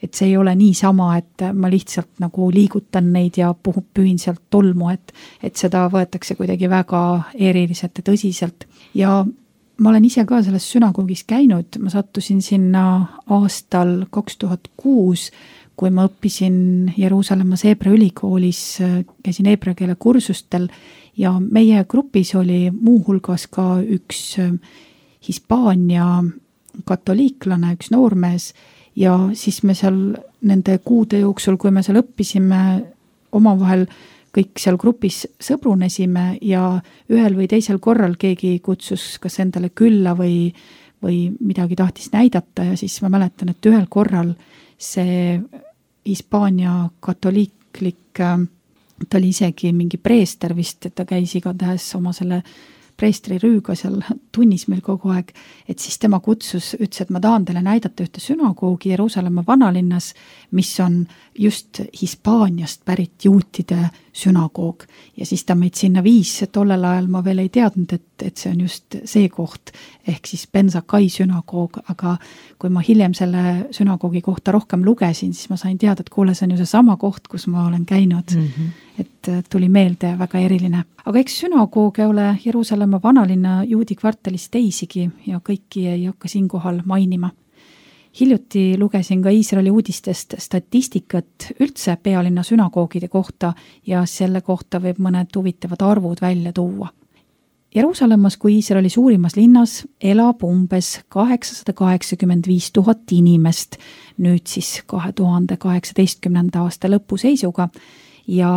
et see ei ole niisama, et ma lihtsalt nagu liigutan neid ja pühin sealt tolmu, et seda võetakse kuidagi väga eriliselt ja tõsiselt. Ja ma olen ise ka selles sünagoogis käinud, ma sattusin sinna aastal 2006, kui ma õppisin Jeruusalemmas Heebrea ülikoolis, käisin heebrea keele kursustel ja meie grupis oli muuhulgas ka üks Hispaania katoliiklane, üks noormees ja siis me seal nende kuude jooksul, kui me seal õppisime, omavahel kõik seal grupis sõbrunesime ja ühel või teisel korral keegi kutsus kas endale külla või midagi tahtis näidata ja siis ma mäletan, et ühel korral see Hispaania katoliiklik, ta oli isegi mingi preester vist, et ta käis igatahes oma selle preestri rüüga seal tunnis meil kogu aeg, et siis tema kutsus, ütles, et ma tahan teile näidata ühte sünagoogi Jeruusalemma vanalinnas, mis on just Hispaaniast pärit juutide sünagoog. Ja siis ta meid sinna viis, tollel ajal ma veel ei teadnud, et see on just see koht, ehk siis Ben-Zakai sünagoog, aga kui ma hiljem selle sünagoogi kohta rohkem lugesin, siis ma sain teada, et kuule, see on ju see sama koht, kus ma olen käinud. Et tuli meelde väga eriline. Aga eks sünagooge ole Jeruusalemma vanalinna juudi kvartalis teisigi ja kõiki ei hakka siinkohal mainima. Hiljuti lugesin ka Iisraeli uudistest statistikat üldse pealinna sünagoogide kohta ja selle kohta võib mõned huvitavad arvud välja tuua. Jeruusalemmas kui Iisraeli suurimas linnas elab umbes 885 000 inimest, nüüd siis 2018. aasta lõpu seisuga ja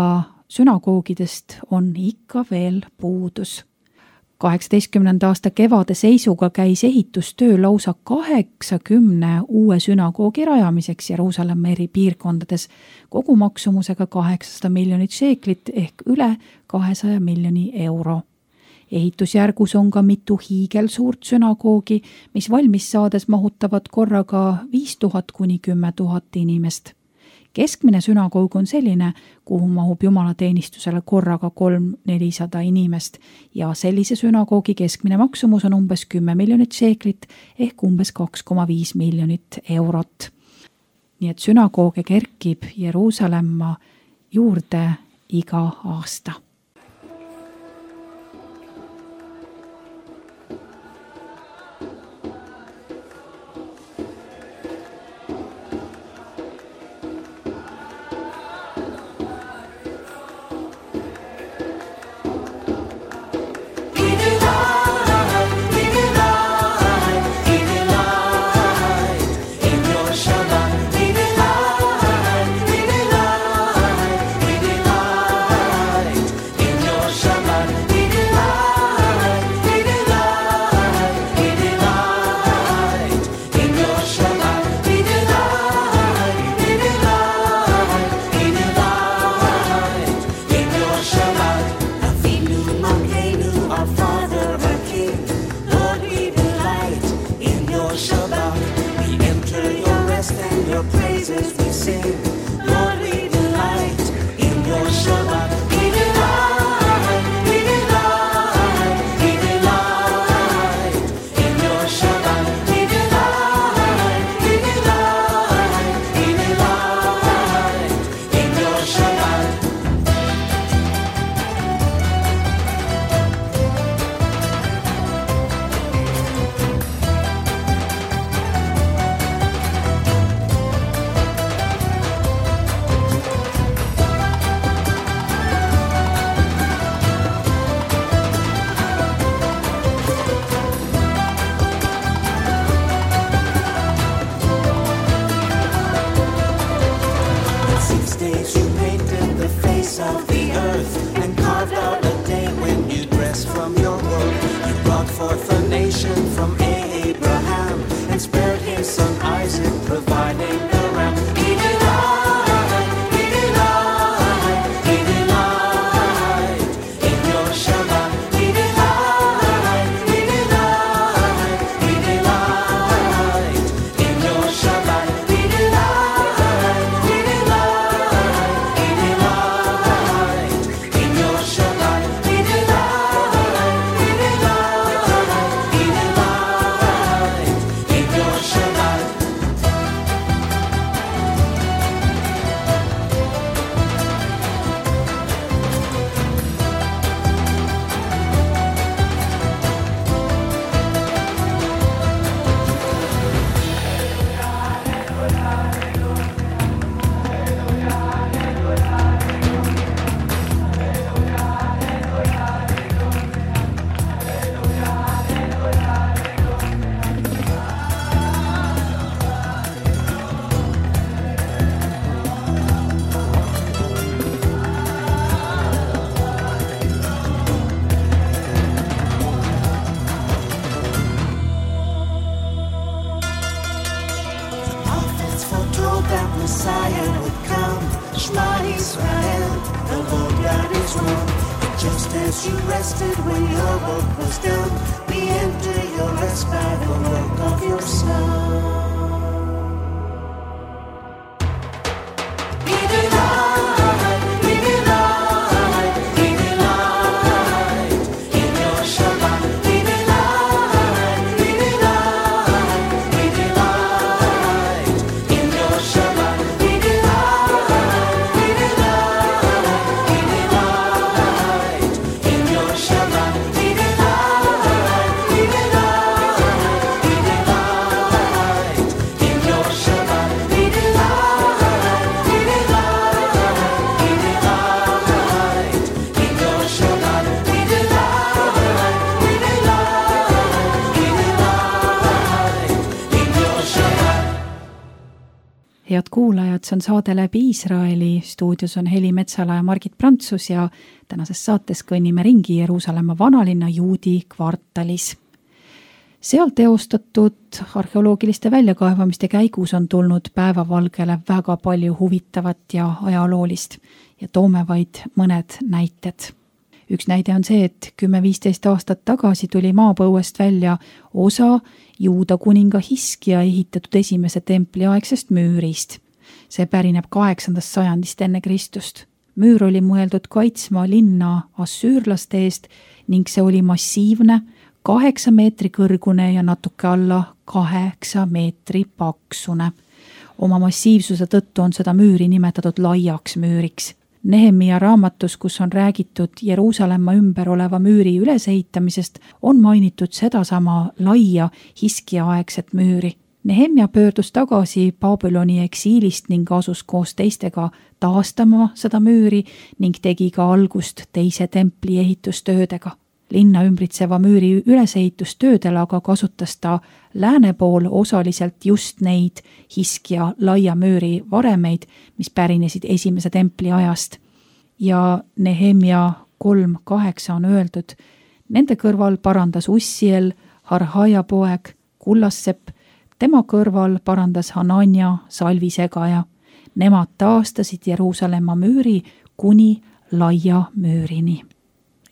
sünagoogidest on ikka veel puudus. 18. aasta kevade seisuga käis ehitustöö lausa 80 uue sünagoogi rajamiseks Jeruusalemma eri piirkondades kogumaksumusega 800 miljonit šeeklit ehk üle 200 miljoni euro. Ehitusjärgus on ka mitu hiigelsuurt sünagoogi, mis valmis saades mahutavad korraga 5000 kuni 10 000 inimest. Keskmine sünagoog on selline, kuhu mahub jumalateenistusele korraga 300-400 inimest ja sellise sünagoogi keskmine maksumus on umbes 10 miljonit šeeklit ehk umbes 2,5 miljonit eurot. Nii et sünagooge kerkib Jeruusalemma juurde iga aasta. Messiah would come. Shema Israel, the Lord God is one. Just as you rested when your work was done, we enter your rest by the work of your Son. We delight, we delight, we delight in your Shabbat. We delight, we delight, we delight in your Shabbat. We delight, we delight, we delight in your Shabbat. We delight, we delight, we delight in your Shabbat. We delight, we delight, we delight, we delight in your Shabbat. We delight, we delight, we delight in your Shabbat. Head kuulajad, see on saade Läbi Iisraeli, stuudios on Heli Metsala ja Margit Prantsus ja tänases saates kõnnime ringi Jeruusalemma vanalinna juudi kvartalis. Seal teostatud arheoloogiliste väljakaevamiste käigus on tulnud päevavalgele väga palju huvitavat ja ajaloolist ja toome vaid mõned näited. Üks näide on see, et 10-15 aastat tagasi tuli maapõuest välja osa Juuda kuninga Hiskia ehitatud esimese templiaegsest müürist. See pärineb 8. sajandist enne Kristust. Müür oli mõeldud kaitsma linna assüürlaste eest ning see oli massiivne, 8 meetri kõrgune ja natuke alla 8 meetri paksune. Oma massiivsuse tõttu on seda müüri nimetatud laiaks müüriks. Nehemia raamatus, kus on räägitud Jeruusalemma ümber oleva müüri ülesehitamisest, on mainitud sedasama laia Hiskia-aegset müüri. Nehemia pöördus tagasi Babyloni eksiilist ning asus koos teistega taastama seda müüri ning tegi ka algust teise templi ehitustöödega. Linna ümbritseva müüri ülesehitustöödel aga kasutas ta lääne pool osaliselt just neid Hiskia laia müüri varemeid, mis pärinesid esimese templi ajast. Ja Nehemia 3:8 on öeldud, nende kõrval parandas Ussiel, Harhaja poeg, Kullassepp, tema kõrval parandas Hanania, salvisegaja. Nemad taastasid Jeruusalemma müüri kuni laia müürini.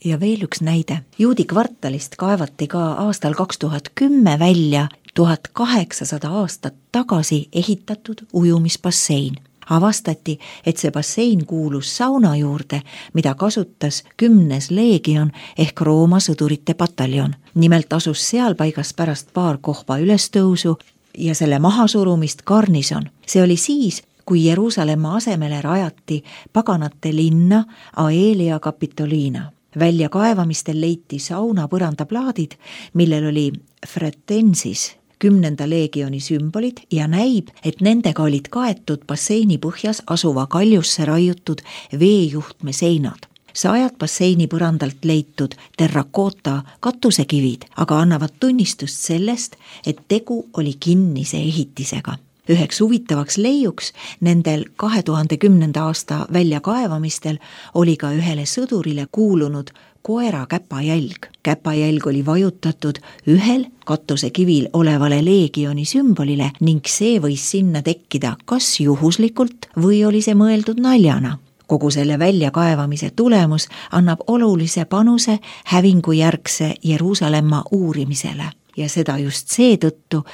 Ja veel üks näide. Juudi kvartalist kaevati ka aastal 2010 välja 1800 aastat tagasi ehitatud ujumisbassein. Avastati, et see bassein kuulus sauna juurde, mida kasutas 10. leegion ehk Rooma sõdurite pataljon. Nimelt asus seal paigas pärast paar kohva ülestõusu ja selle mahasurumist garnison. See oli siis, kui Jeruusalemma asemele rajati paganate linna Aelia Capitolina. Väljakaevamistel leiti sauna põrandaplaadid, millel oli fretensis 10. leegioni sümbolid ja näib, et nendega olid kaetud basseini põhjas asuva kaljusse raiutud veejuhtme seinad. Sajad basseini põrandalt leitud terrakoota katusekivid aga annavad tunnistust sellest, et tegu oli kinnise ehitisega. Üheks huvitavaks leiuks nendel 2010. aasta väljakaevamistel oli ka ühele sõdurile kuulunud koera käpajälg. Käpajälg oli vajutatud ühel katusekivil olevale leegioni sümbolile ning see võis sinna tekkida kas juhuslikult või oli see mõeldud naljana. Kogu selle väljakaevamise tulemus annab olulise panuse hävingujärgse Jeruusalemma uurimisele ja seda just seetõttu,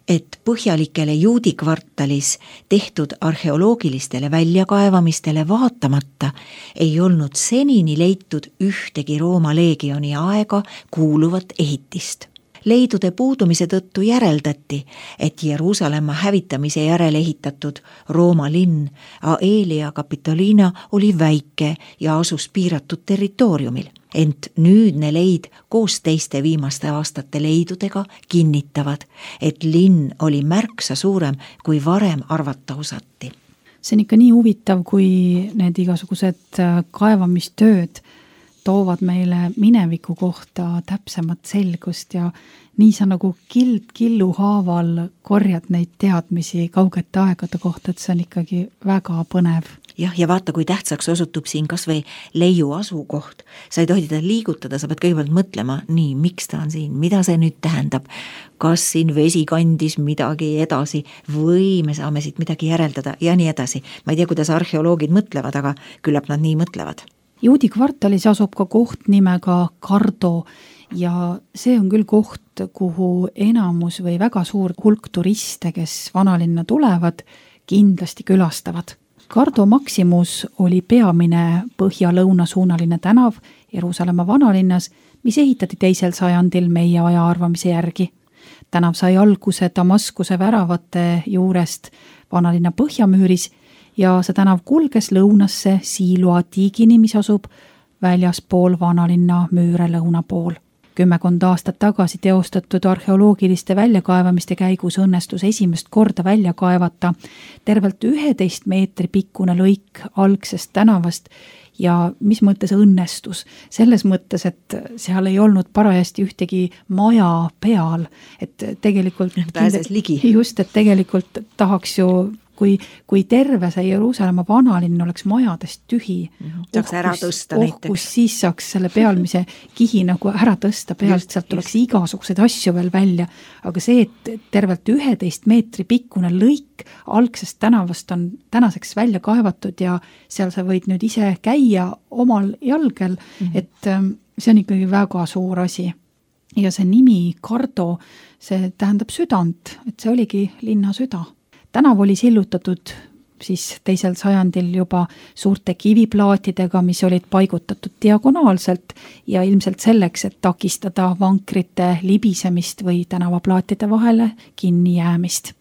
et põhjalikele juudi kvartalis tehtud arheoloogilistele väljakaevamistele vaatamata ei olnud senini leitud ühtegi Rooma leegioni aega kuuluvat ehitist. Leidude puudumise tõttu järeldati, et Jeruusalemma hävitamise järel ehitatud Rooma linn Aelia Capitolina oli väike ja asus piiratud territooriumil. Ent nüüdne leid koos teiste viimaste aastate leidudega kinnitavad, et linn oli märksa suurem, kui varem arvata osati. See on ikka nii huvitav, kui need igasugused kaevamistööd toovad meile mineviku kohta täpsemat selgust ja nii sa nagu killu haaval korjad neid teadmisi kaugete aegade kohta, et see on ikkagi väga põnev. jah, ja vaata, kui tähtsaks osutub siin kas või leiu asukoht. Sa ei tohi teda liigutada, sa pead kõigepealt mõtlema, nii, miks ta on siin, mida see nüüd tähendab, kas siin vesi kandis midagi edasi või me saame siit midagi järeldada ja nii edasi. Ma ei tea, kuidas arheoloogid mõtlevad, aga küllap nad nii mõtlevad. Juudi kvartalis asub ka koht nimega Cardo ja see on küll koht, kuhu enamus või väga suur hulk turiste, kes vanalinna tulevad, kindlasti külastavad. Cardo Maximus oli peamine põhja-lõunasuunaline tänav Jeruusalemma vanalinnas, mis ehitati 2. sajandil meie aja arvamise järgi. Tänav sai alguse Damaskuse väravate juurest vanalinna põhjamüüris ja see tänav kulges lõunasse Siloa tiigini, mis asub väljaspool vanalinna müüre lõuna pool. 10 aastat tagasi teostatud arheoloogiliste väljakaevamiste käigus õnnestus esimest korda välja kaevata tervelt 11 meetri pikkune lõik algsest tänavast ja mis mõttes õnnestus? Selles mõttes, et seal ei olnud parajasti ühtegi maja peal, et tegelikult pääses ligi. Just, et tegelikult tahaks ju kui terve see Jeruusalemma vanalinn oleks majadest tühi, saaks ära tõsta näiteks. Siis saaks selle pealmise kihi nagu ära tõsta pealt, sealt tuleks igasuguseid asju veel välja, aga see, et tervelt 11 meetri pikkune lõik algsest tänavast on tänaseks välja kaevatud ja seal sa võid nüüd ise käia omal jalgel, et see on ikkagi väga suur asi. Ja see nimi Cardo, see tähendab südant, et see oligi linna süda. Tänav oli sillutatud siis 2. sajandil juba suurte kiviplaatidega, mis olid paigutatud diagonaalselt ja ilmselt selleks, et takistada vankrite libisemist või tänavaplaatide vahele kinni jäämist.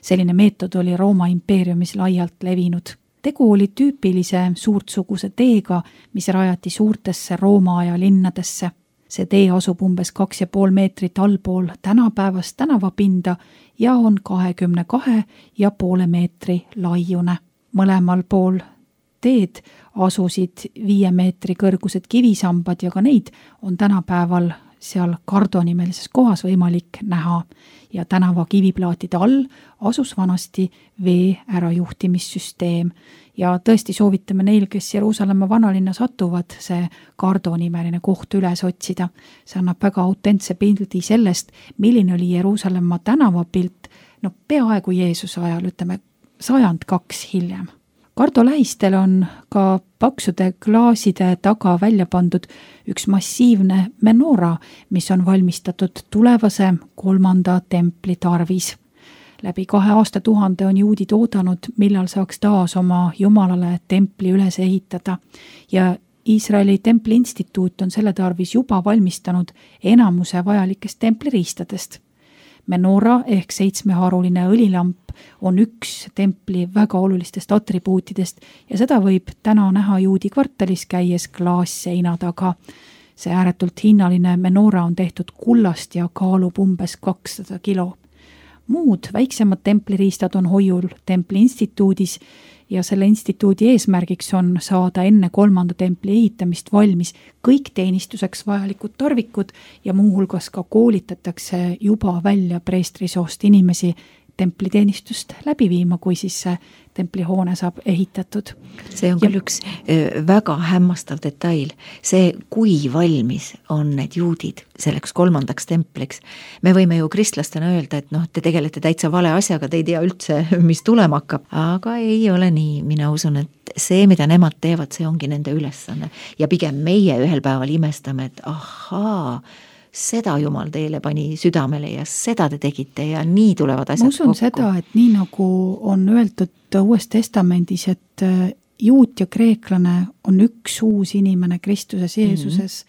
Selline meetod oli Rooma impeeriumis laialt levinud. Tegu oli tüüpilise suurtsuguse teega, mis rajati suurtesse Rooma aja linnadesse. See tee asub umbes 2,5 meetrit allpool tänapäevast tänavapinda ja on 22,5 meetri laiune. Mõlemal pool teed asusid 5 meetri kõrgused kivisambad ja ka neid on tänapäeval seal Cardo nimelises kohas võimalik näha ja tänava kiviplaatide all asus vanasti vee ärajuhtimissüsteem ja tõesti soovitame neil, kes Jeruusalemma vanalinna satuvad, see Cardo nimeline koht üles otsida. See annab väga autentse pildi sellest, milline oli Jeruusalemma tänavapilt, peaaegu Jeesuse ajal, ütleme 102 hiljem. Cardo lähistel on ka paksude klaaside taga välja pandud üks massiivne menora, mis on valmistatud tulevase 3. templi tarvis. Läbi 2 aastatuhande on juudid oodanud, millal saaks taas oma jumalale templi üles ehitada ja Iisraeli templi instituut on selle tarvis juba valmistanud enamuse vajalikest templiriistadest. Menora ehk 7-haruline õlilamp on üks templi väga olulistest atribuutidest ja seda võib täna näha Juudi kvartalis käies klaasseina taga. See ääretult hinnaline menora on tehtud kullast ja kaalub umbes 200 kilo. Muud väiksemad templiriistad on hoiul templi instituudis ja selle instituudi eesmärgiks on saada enne 3. templi ehitamist valmis kõik teenistuseks vajalikud tarvikud ja muuhulgas ka koolitatakse juba välja preestrisoost inimesi templiteenistust läbi viima, kui siis see templihoone saab ehitatud. See on küll üks väga hämmastav detail. See, kui valmis on need juudid selleks 3. templiks. Me võime ju kristlastena öelda, et te tegelete täitsa vale asjaga, te ei tea üldse, mis tulema hakkab. Aga ei ole nii. Mina usun, et see, mida nemad teevad, see ongi nende ülesanne. Ja pigem meie ühel päeval imestame, et ahaa, seda Jumal teile pani südamele ja seda te tegite ja nii tulevad asjad kokku. Ma usun seda, et nii nagu on öeldud Uues Testamendis, et juut ja kreeklane on üks uus inimene Kristuses Jeesuses,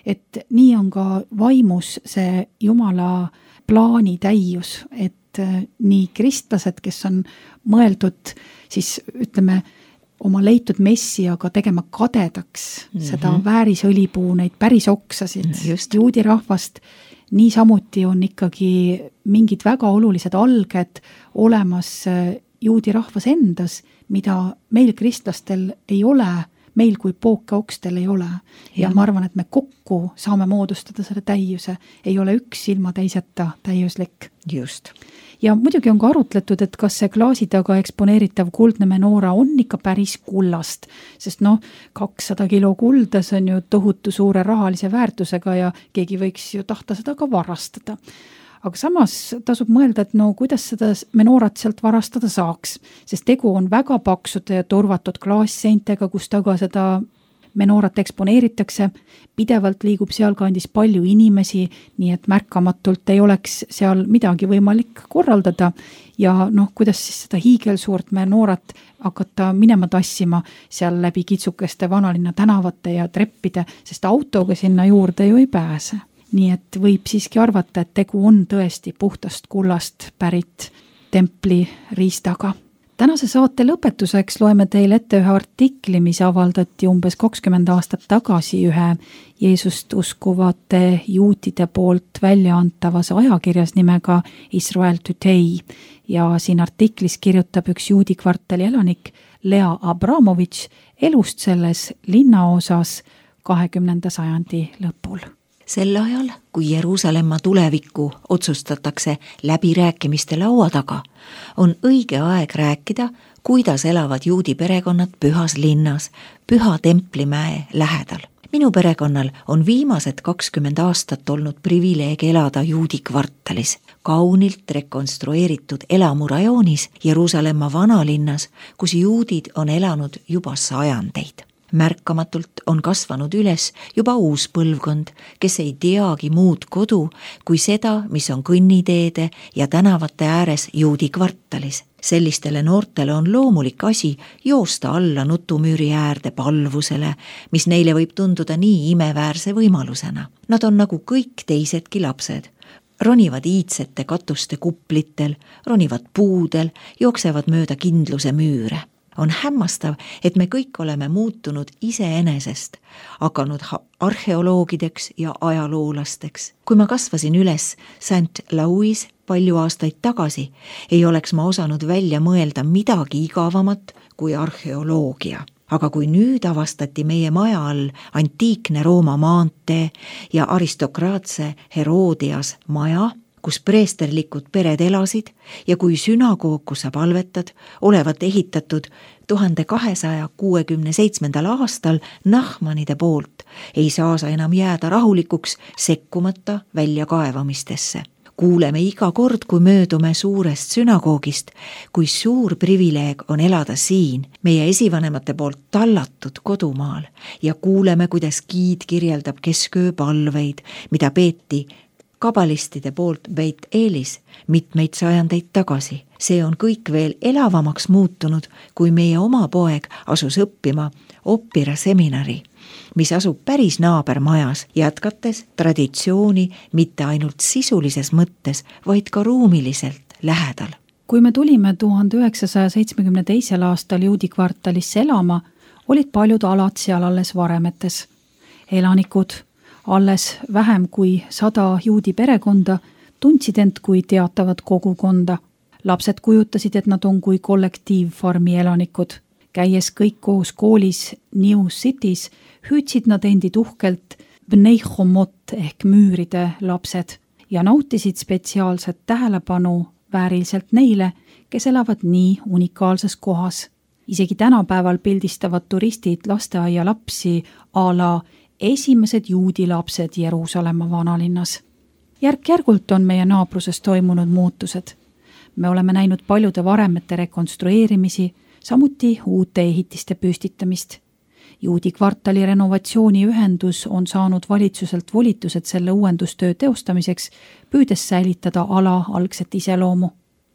et nii on ka vaimus see Jumala plaani täius, et nii kristlased, kes on mõeldud siis ütleme oma leitud messiaga tegema kadedaks seda väärisõlipuu, neid päris oksasid, juudi rahvast, nii samuti on ikkagi mingid väga olulised alged olemas juudi rahvas endas, mida meil kristlastel ei ole. meil kui pooke okstel ei ole. Ja ma arvan, et me kokku saame moodustada selle täiuse. Ei ole üks ilma teiseta täiuslik. Just. Ja muidugi on ka arutletud, et kas see klaasi taga eksponeeritav kuldne menoora on ikka päris kullast, sest 200 kilo kulda, see on ju tohutu suure rahalise väärtusega ja keegi võiks ju tahta seda ka varastada. Aga samas tasub mõelda, et kuidas seda menoorat sealt varastada saaks, sest tegu on väga paksude ja turvatud klaasseintega, kus taga seda menoorat eksponeeritakse, pidevalt liigub sealkandis palju inimesi, nii et märkamatult ei oleks seal midagi võimalik korraldada ja kuidas siis seda hiigelsuurt menoorat hakata minema tassima seal läbi kitsukeste vanalinna tänavate ja treppide, sest autoga sinna juurde ju ei pääse. Nii et võib siiski arvata, et tegu on tõesti puhtast kullast pärit templi riistaga. Tänase saate lõpetuseks loeme teile ette ühe artikli, mis avaldati umbes 20 aastat tagasi ühe Jeesust uskuvate juutide poolt välja antavas ajakirjas nimega Israel Today ja siin artiklis kirjutab üks juudi kvartali elanik Lea Abramovitš elust selles linnaosas 20. sajandi lõpul. Sel ajal, kui Jeruusalemma tulevikku otsustatakse läbirääkimiste laua taga, on õige aeg rääkida, kuidas elavad juudi perekonnad pühas linnas, Püha Templimäe lähedal. Minu perekonnal on viimased 20 aastat olnud privileeg elada juudi kvartalis, kaunilt rekonstrueeritud elamurajoonis Jeruusalemma vanalinnas, kus juudid on elanud juba sajandeid. Märkamatult on kasvanud üles juba uus põlvkond, kes ei teagi muud kodu kui seda, mis on kõnniteede ja tänavate ääres juudi kvartalis. Sellistele noortele on loomulik asi joosta alla nutumüüri äärde palvusele, mis neile võib tunduda nii imeväärse võimalusena. Nad on nagu kõik teisedki lapsed. Ronivad iidsete katuste kuplitel, ronivad puudel, jooksevad mööda kindluse müüre. On hämmastav, et me kõik oleme muutunud iseenesest, hakanud arheoloogideks ja ajaloolasteks. Kui ma kasvasin üles St. Louis palju aastaid tagasi, ei oleks ma osanud välja mõelda midagi igavamat kui arheoloogia. Aga kui nüüd avastati meie maja all antiikne Rooma maantee ja aristokraatse Herodias maja, kus preesterlikud pered elasid ja kui sünagoog, kus sa palvetad, olevat ehitatud 1267. aastal Nahmanide poolt, ei saa sa enam jääda rahulikuks sekkumata väljakaevamistesse. Kuuleme iga kord, kui möödume suurest sünagoogist, kui suur privileeg on elada siin, meie esivanemate poolt tallatud kodumaal ja kuuleme, kuidas giid kirjeldab kesköö palveid, mida peeti kabalistide poolt Beit Eelis mitmeid sajandeid tagasi. See on kõik veel elavamaks muutunud, kui meie oma poeg asus õppima Oppira seminari, mis asub päris naabermajas, jätkates traditsiooni mitte ainult sisulises mõttes, vaid ka ruumiliselt lähedal. Kui me tulime 1972. aastal juudi kvartalisse elama, olid paljud alad seal alles varemetes. Elanikud, alles vähem kui 100 juudi perekonda, tundsid end kui teatavat kogukonda. Lapsed kujutasid, et nad on kui kollektiivfarmi elanikud. Käies kõik koos koolis New Cities, hüüdsid nad endid uhkelt Bnei Chomot ehk müüride lapsed ja nautisid spetsiaalset tähelepanu vääriliselt neile, kes elavad nii unikaalses kohas. Isegi tänapäeval pildistavad turistid lasteaia lapsi a la esimesed juudi lapsed Jeruusalemma vanalinnas. Järk-järgult on meie naabruses toimunud muutused. Me oleme näinud paljude varemete rekonstrueerimisi, samuti uute ehitiste püstitamist. Juudi kvartali renovatsiooniühendus on saanud valitsuselt volitused selle uuendustöö teostamiseks, püüdes säilitada ala algset iseloomu.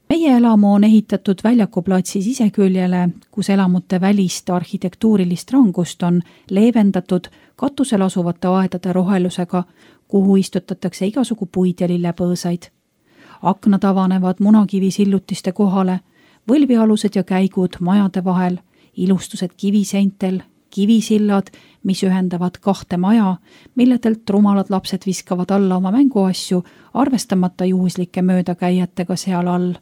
Meie elamu on ehitatud väljakuplatsi siseküljele, kus elamute välist arhitektuurilist rangust on leevendatud katusel asuvate aedade rohelusega, kuhu istutatakse igasugu puid ja lillepõõsaid. Aknad avanevad munakivisillutiste kohale, võlvialused ja käigud majade vahel, ilustused kiviseintel, kivisillad, mis ühendavad kahte maja, milledelt rumalad lapsed viskavad alla oma mänguasju, arvestamata juhuslike möödakäijatega seal all.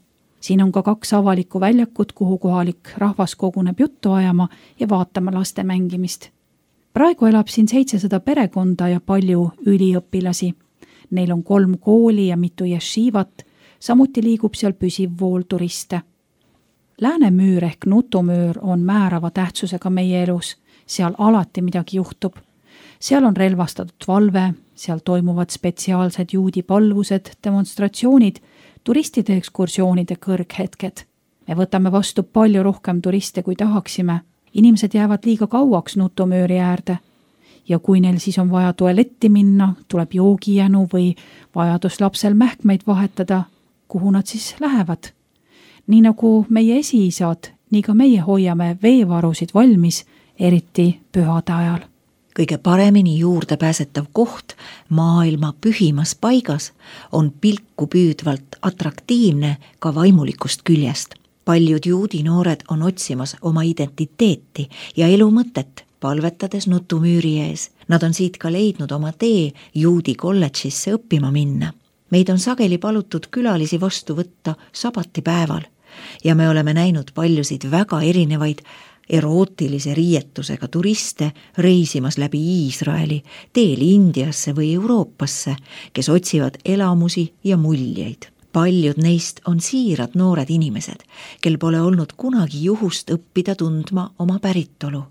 siin on ka 2 avalikku väljakut, kuhu kohalik rahvas koguneb juttu ajama ja vaatama laste mängimist. Praegu elab siin 700 perekonda ja palju üliõpilasi. Neil on 3 kooli ja mitu jeshivat, samuti liigub seal püsiv vool turiste. Läänemüür ehk Nutumüür on määrava tähtsusega meie elus, seal alati midagi juhtub. Seal on relvastatud valve, seal toimuvad spetsiaalsed juudi palvused, demonstratsioonid, turistide ekskursioonide kõrghetked. Me võtame vastu palju rohkem turiste, kui tahaksime. Inimesed jäävad liiga kauaks Nutumüüri äärde. Ja kui neil siis on vaja tualetti minna, tuleb joogijänu või vajadus lapsel mähkmeid vahetada, kuhu nad siis lähevad? Nii nagu meie esiisad, nii ka meie hoiame veevarusid valmis, eriti pühade ajal. Kõige paremini juurdepääsetav koht maailma pühimas paigas on pilku püüdvalt atraktiivne ka vaimulikust küljest. Paljud juudi noored on otsimas oma identiteeti ja elu mõtet, palvetades Nutumüüri ees. Nad on siit ka leidnud oma tee juudi kolledžisse õppima minna. Meid on sageli palutud külalisi vastu võtta sabatipäeval ja me oleme näinud paljusid väga erinevaid erootilise riietusega turiste reisimas läbi Iisraeli, teel Indiasse või Euroopasse, kes otsivad elamusi ja muljeid. Paljud neist on siirad noored inimesed, kel pole olnud kunagi juhust õppida tundma oma päritolu.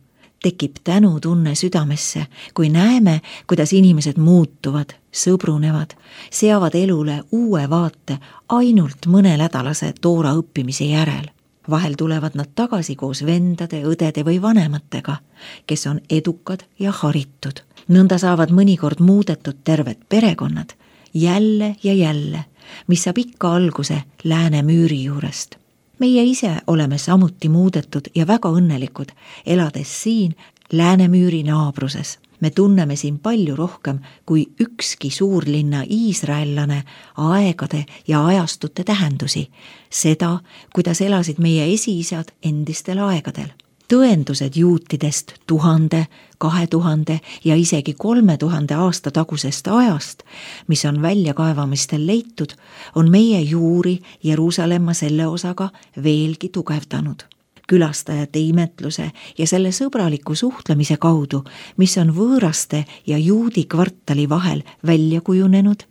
Tekib tänutunne südamesse, kui näeme, kuidas inimesed muutuvad, sõbrunevad, seavad elule uue vaate ainult mõnenädalase toora õppimise järel. Vahel tulevad nad tagasi koos vendade, õdede või vanematega, kes on edukad ja haritud. Nõnda saavad mõnikord muudetud terved perekonnad, jälle ja jälle, mis saab ikka alguse Läänemüüri juurest. Meie ise oleme samuti muudetud ja väga õnnelikud, elades siin Läänemüüri naabruses. Me tunneme siin palju rohkem kui ükski suurlinna iisraellane aegade ja ajastute tähendusi, seda, kuidas elasid meie esiisad endistel aegadel. Tõendused juutidest 1000, 2000 ja isegi 3000 aasta tagusest ajast, mis on väljakaevamistel leitud, on meie juuri Jeruusalemma selle osaga veelgi tugevdanud. Külastajate imetluse ja selle sõbraliku suhtlemise kaudu, mis on võõraste ja juudi kvartali vahel välja kujunenud,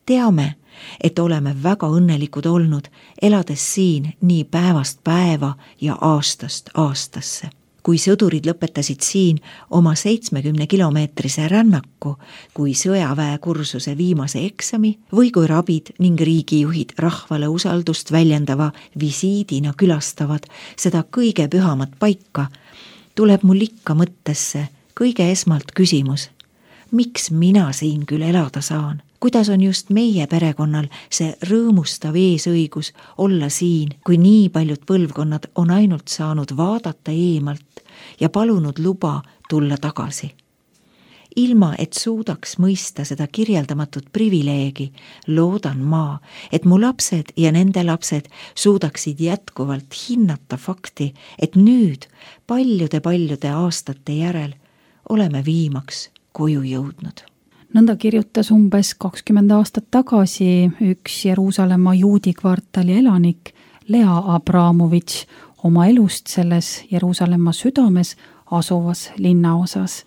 teame, et oleme väga õnnelikud olnud, elades siin nii päevast päeva ja aastast aastasse. Kui sõdurid lõpetasid siin oma 70-kilomeetrise rännaku, kui sõjaväekursuse viimase eksami või kui rabid ning riigijuhid rahvale usaldust väljendava visiidina külastavad seda kõige pühamat paika, tuleb mul ikka mõttesse kõige esmalt küsimus, miks mina siin küll elada saan? Kuidas on just meie perekonnal see rõõmustav eesõigus olla siin, kui nii paljud põlvkonnad on ainult saanud vaadata eemalt ja palunud luba tulla tagasi. Ilma, et suudaks mõista seda kirjeldamatut privileegi, loodan ma, et mu lapsed ja nende lapsed suudaksid jätkuvalt hinnata fakti, et nüüd paljude aastate järel oleme viimaks koju jõudnud. Nõnda kirjutas umbes 20 aastat tagasi üks Jeruusalemma juudi kvartali elanik Lea Abramovitš oma elust selles Jeruusalemma südames asuvas linnaosas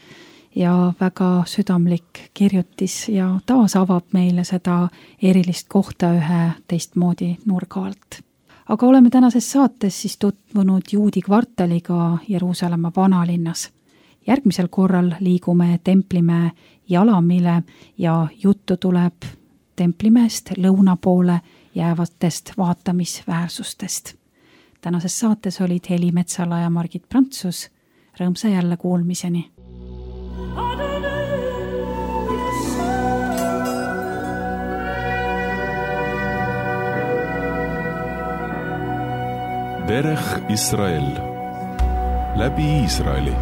ja väga südamlik kirjutis ja taas avab meile seda erilist kohta ühe teistmoodi nurga alt. Aga oleme tänases saates siis tutvunud juudi kvartaliga Jeruusalemma vanalinnas. Järgmisel korral liigume Templimäe Jalamile ja juttu tuleb Templimäest lõuna poole jäävatest vaatamisväärsustest. Tänases saates olid Heli Metsala ja Margit Prantsus. Rõõmsa jälle kuulmiseni. Derech Israel läbi Iisraeli.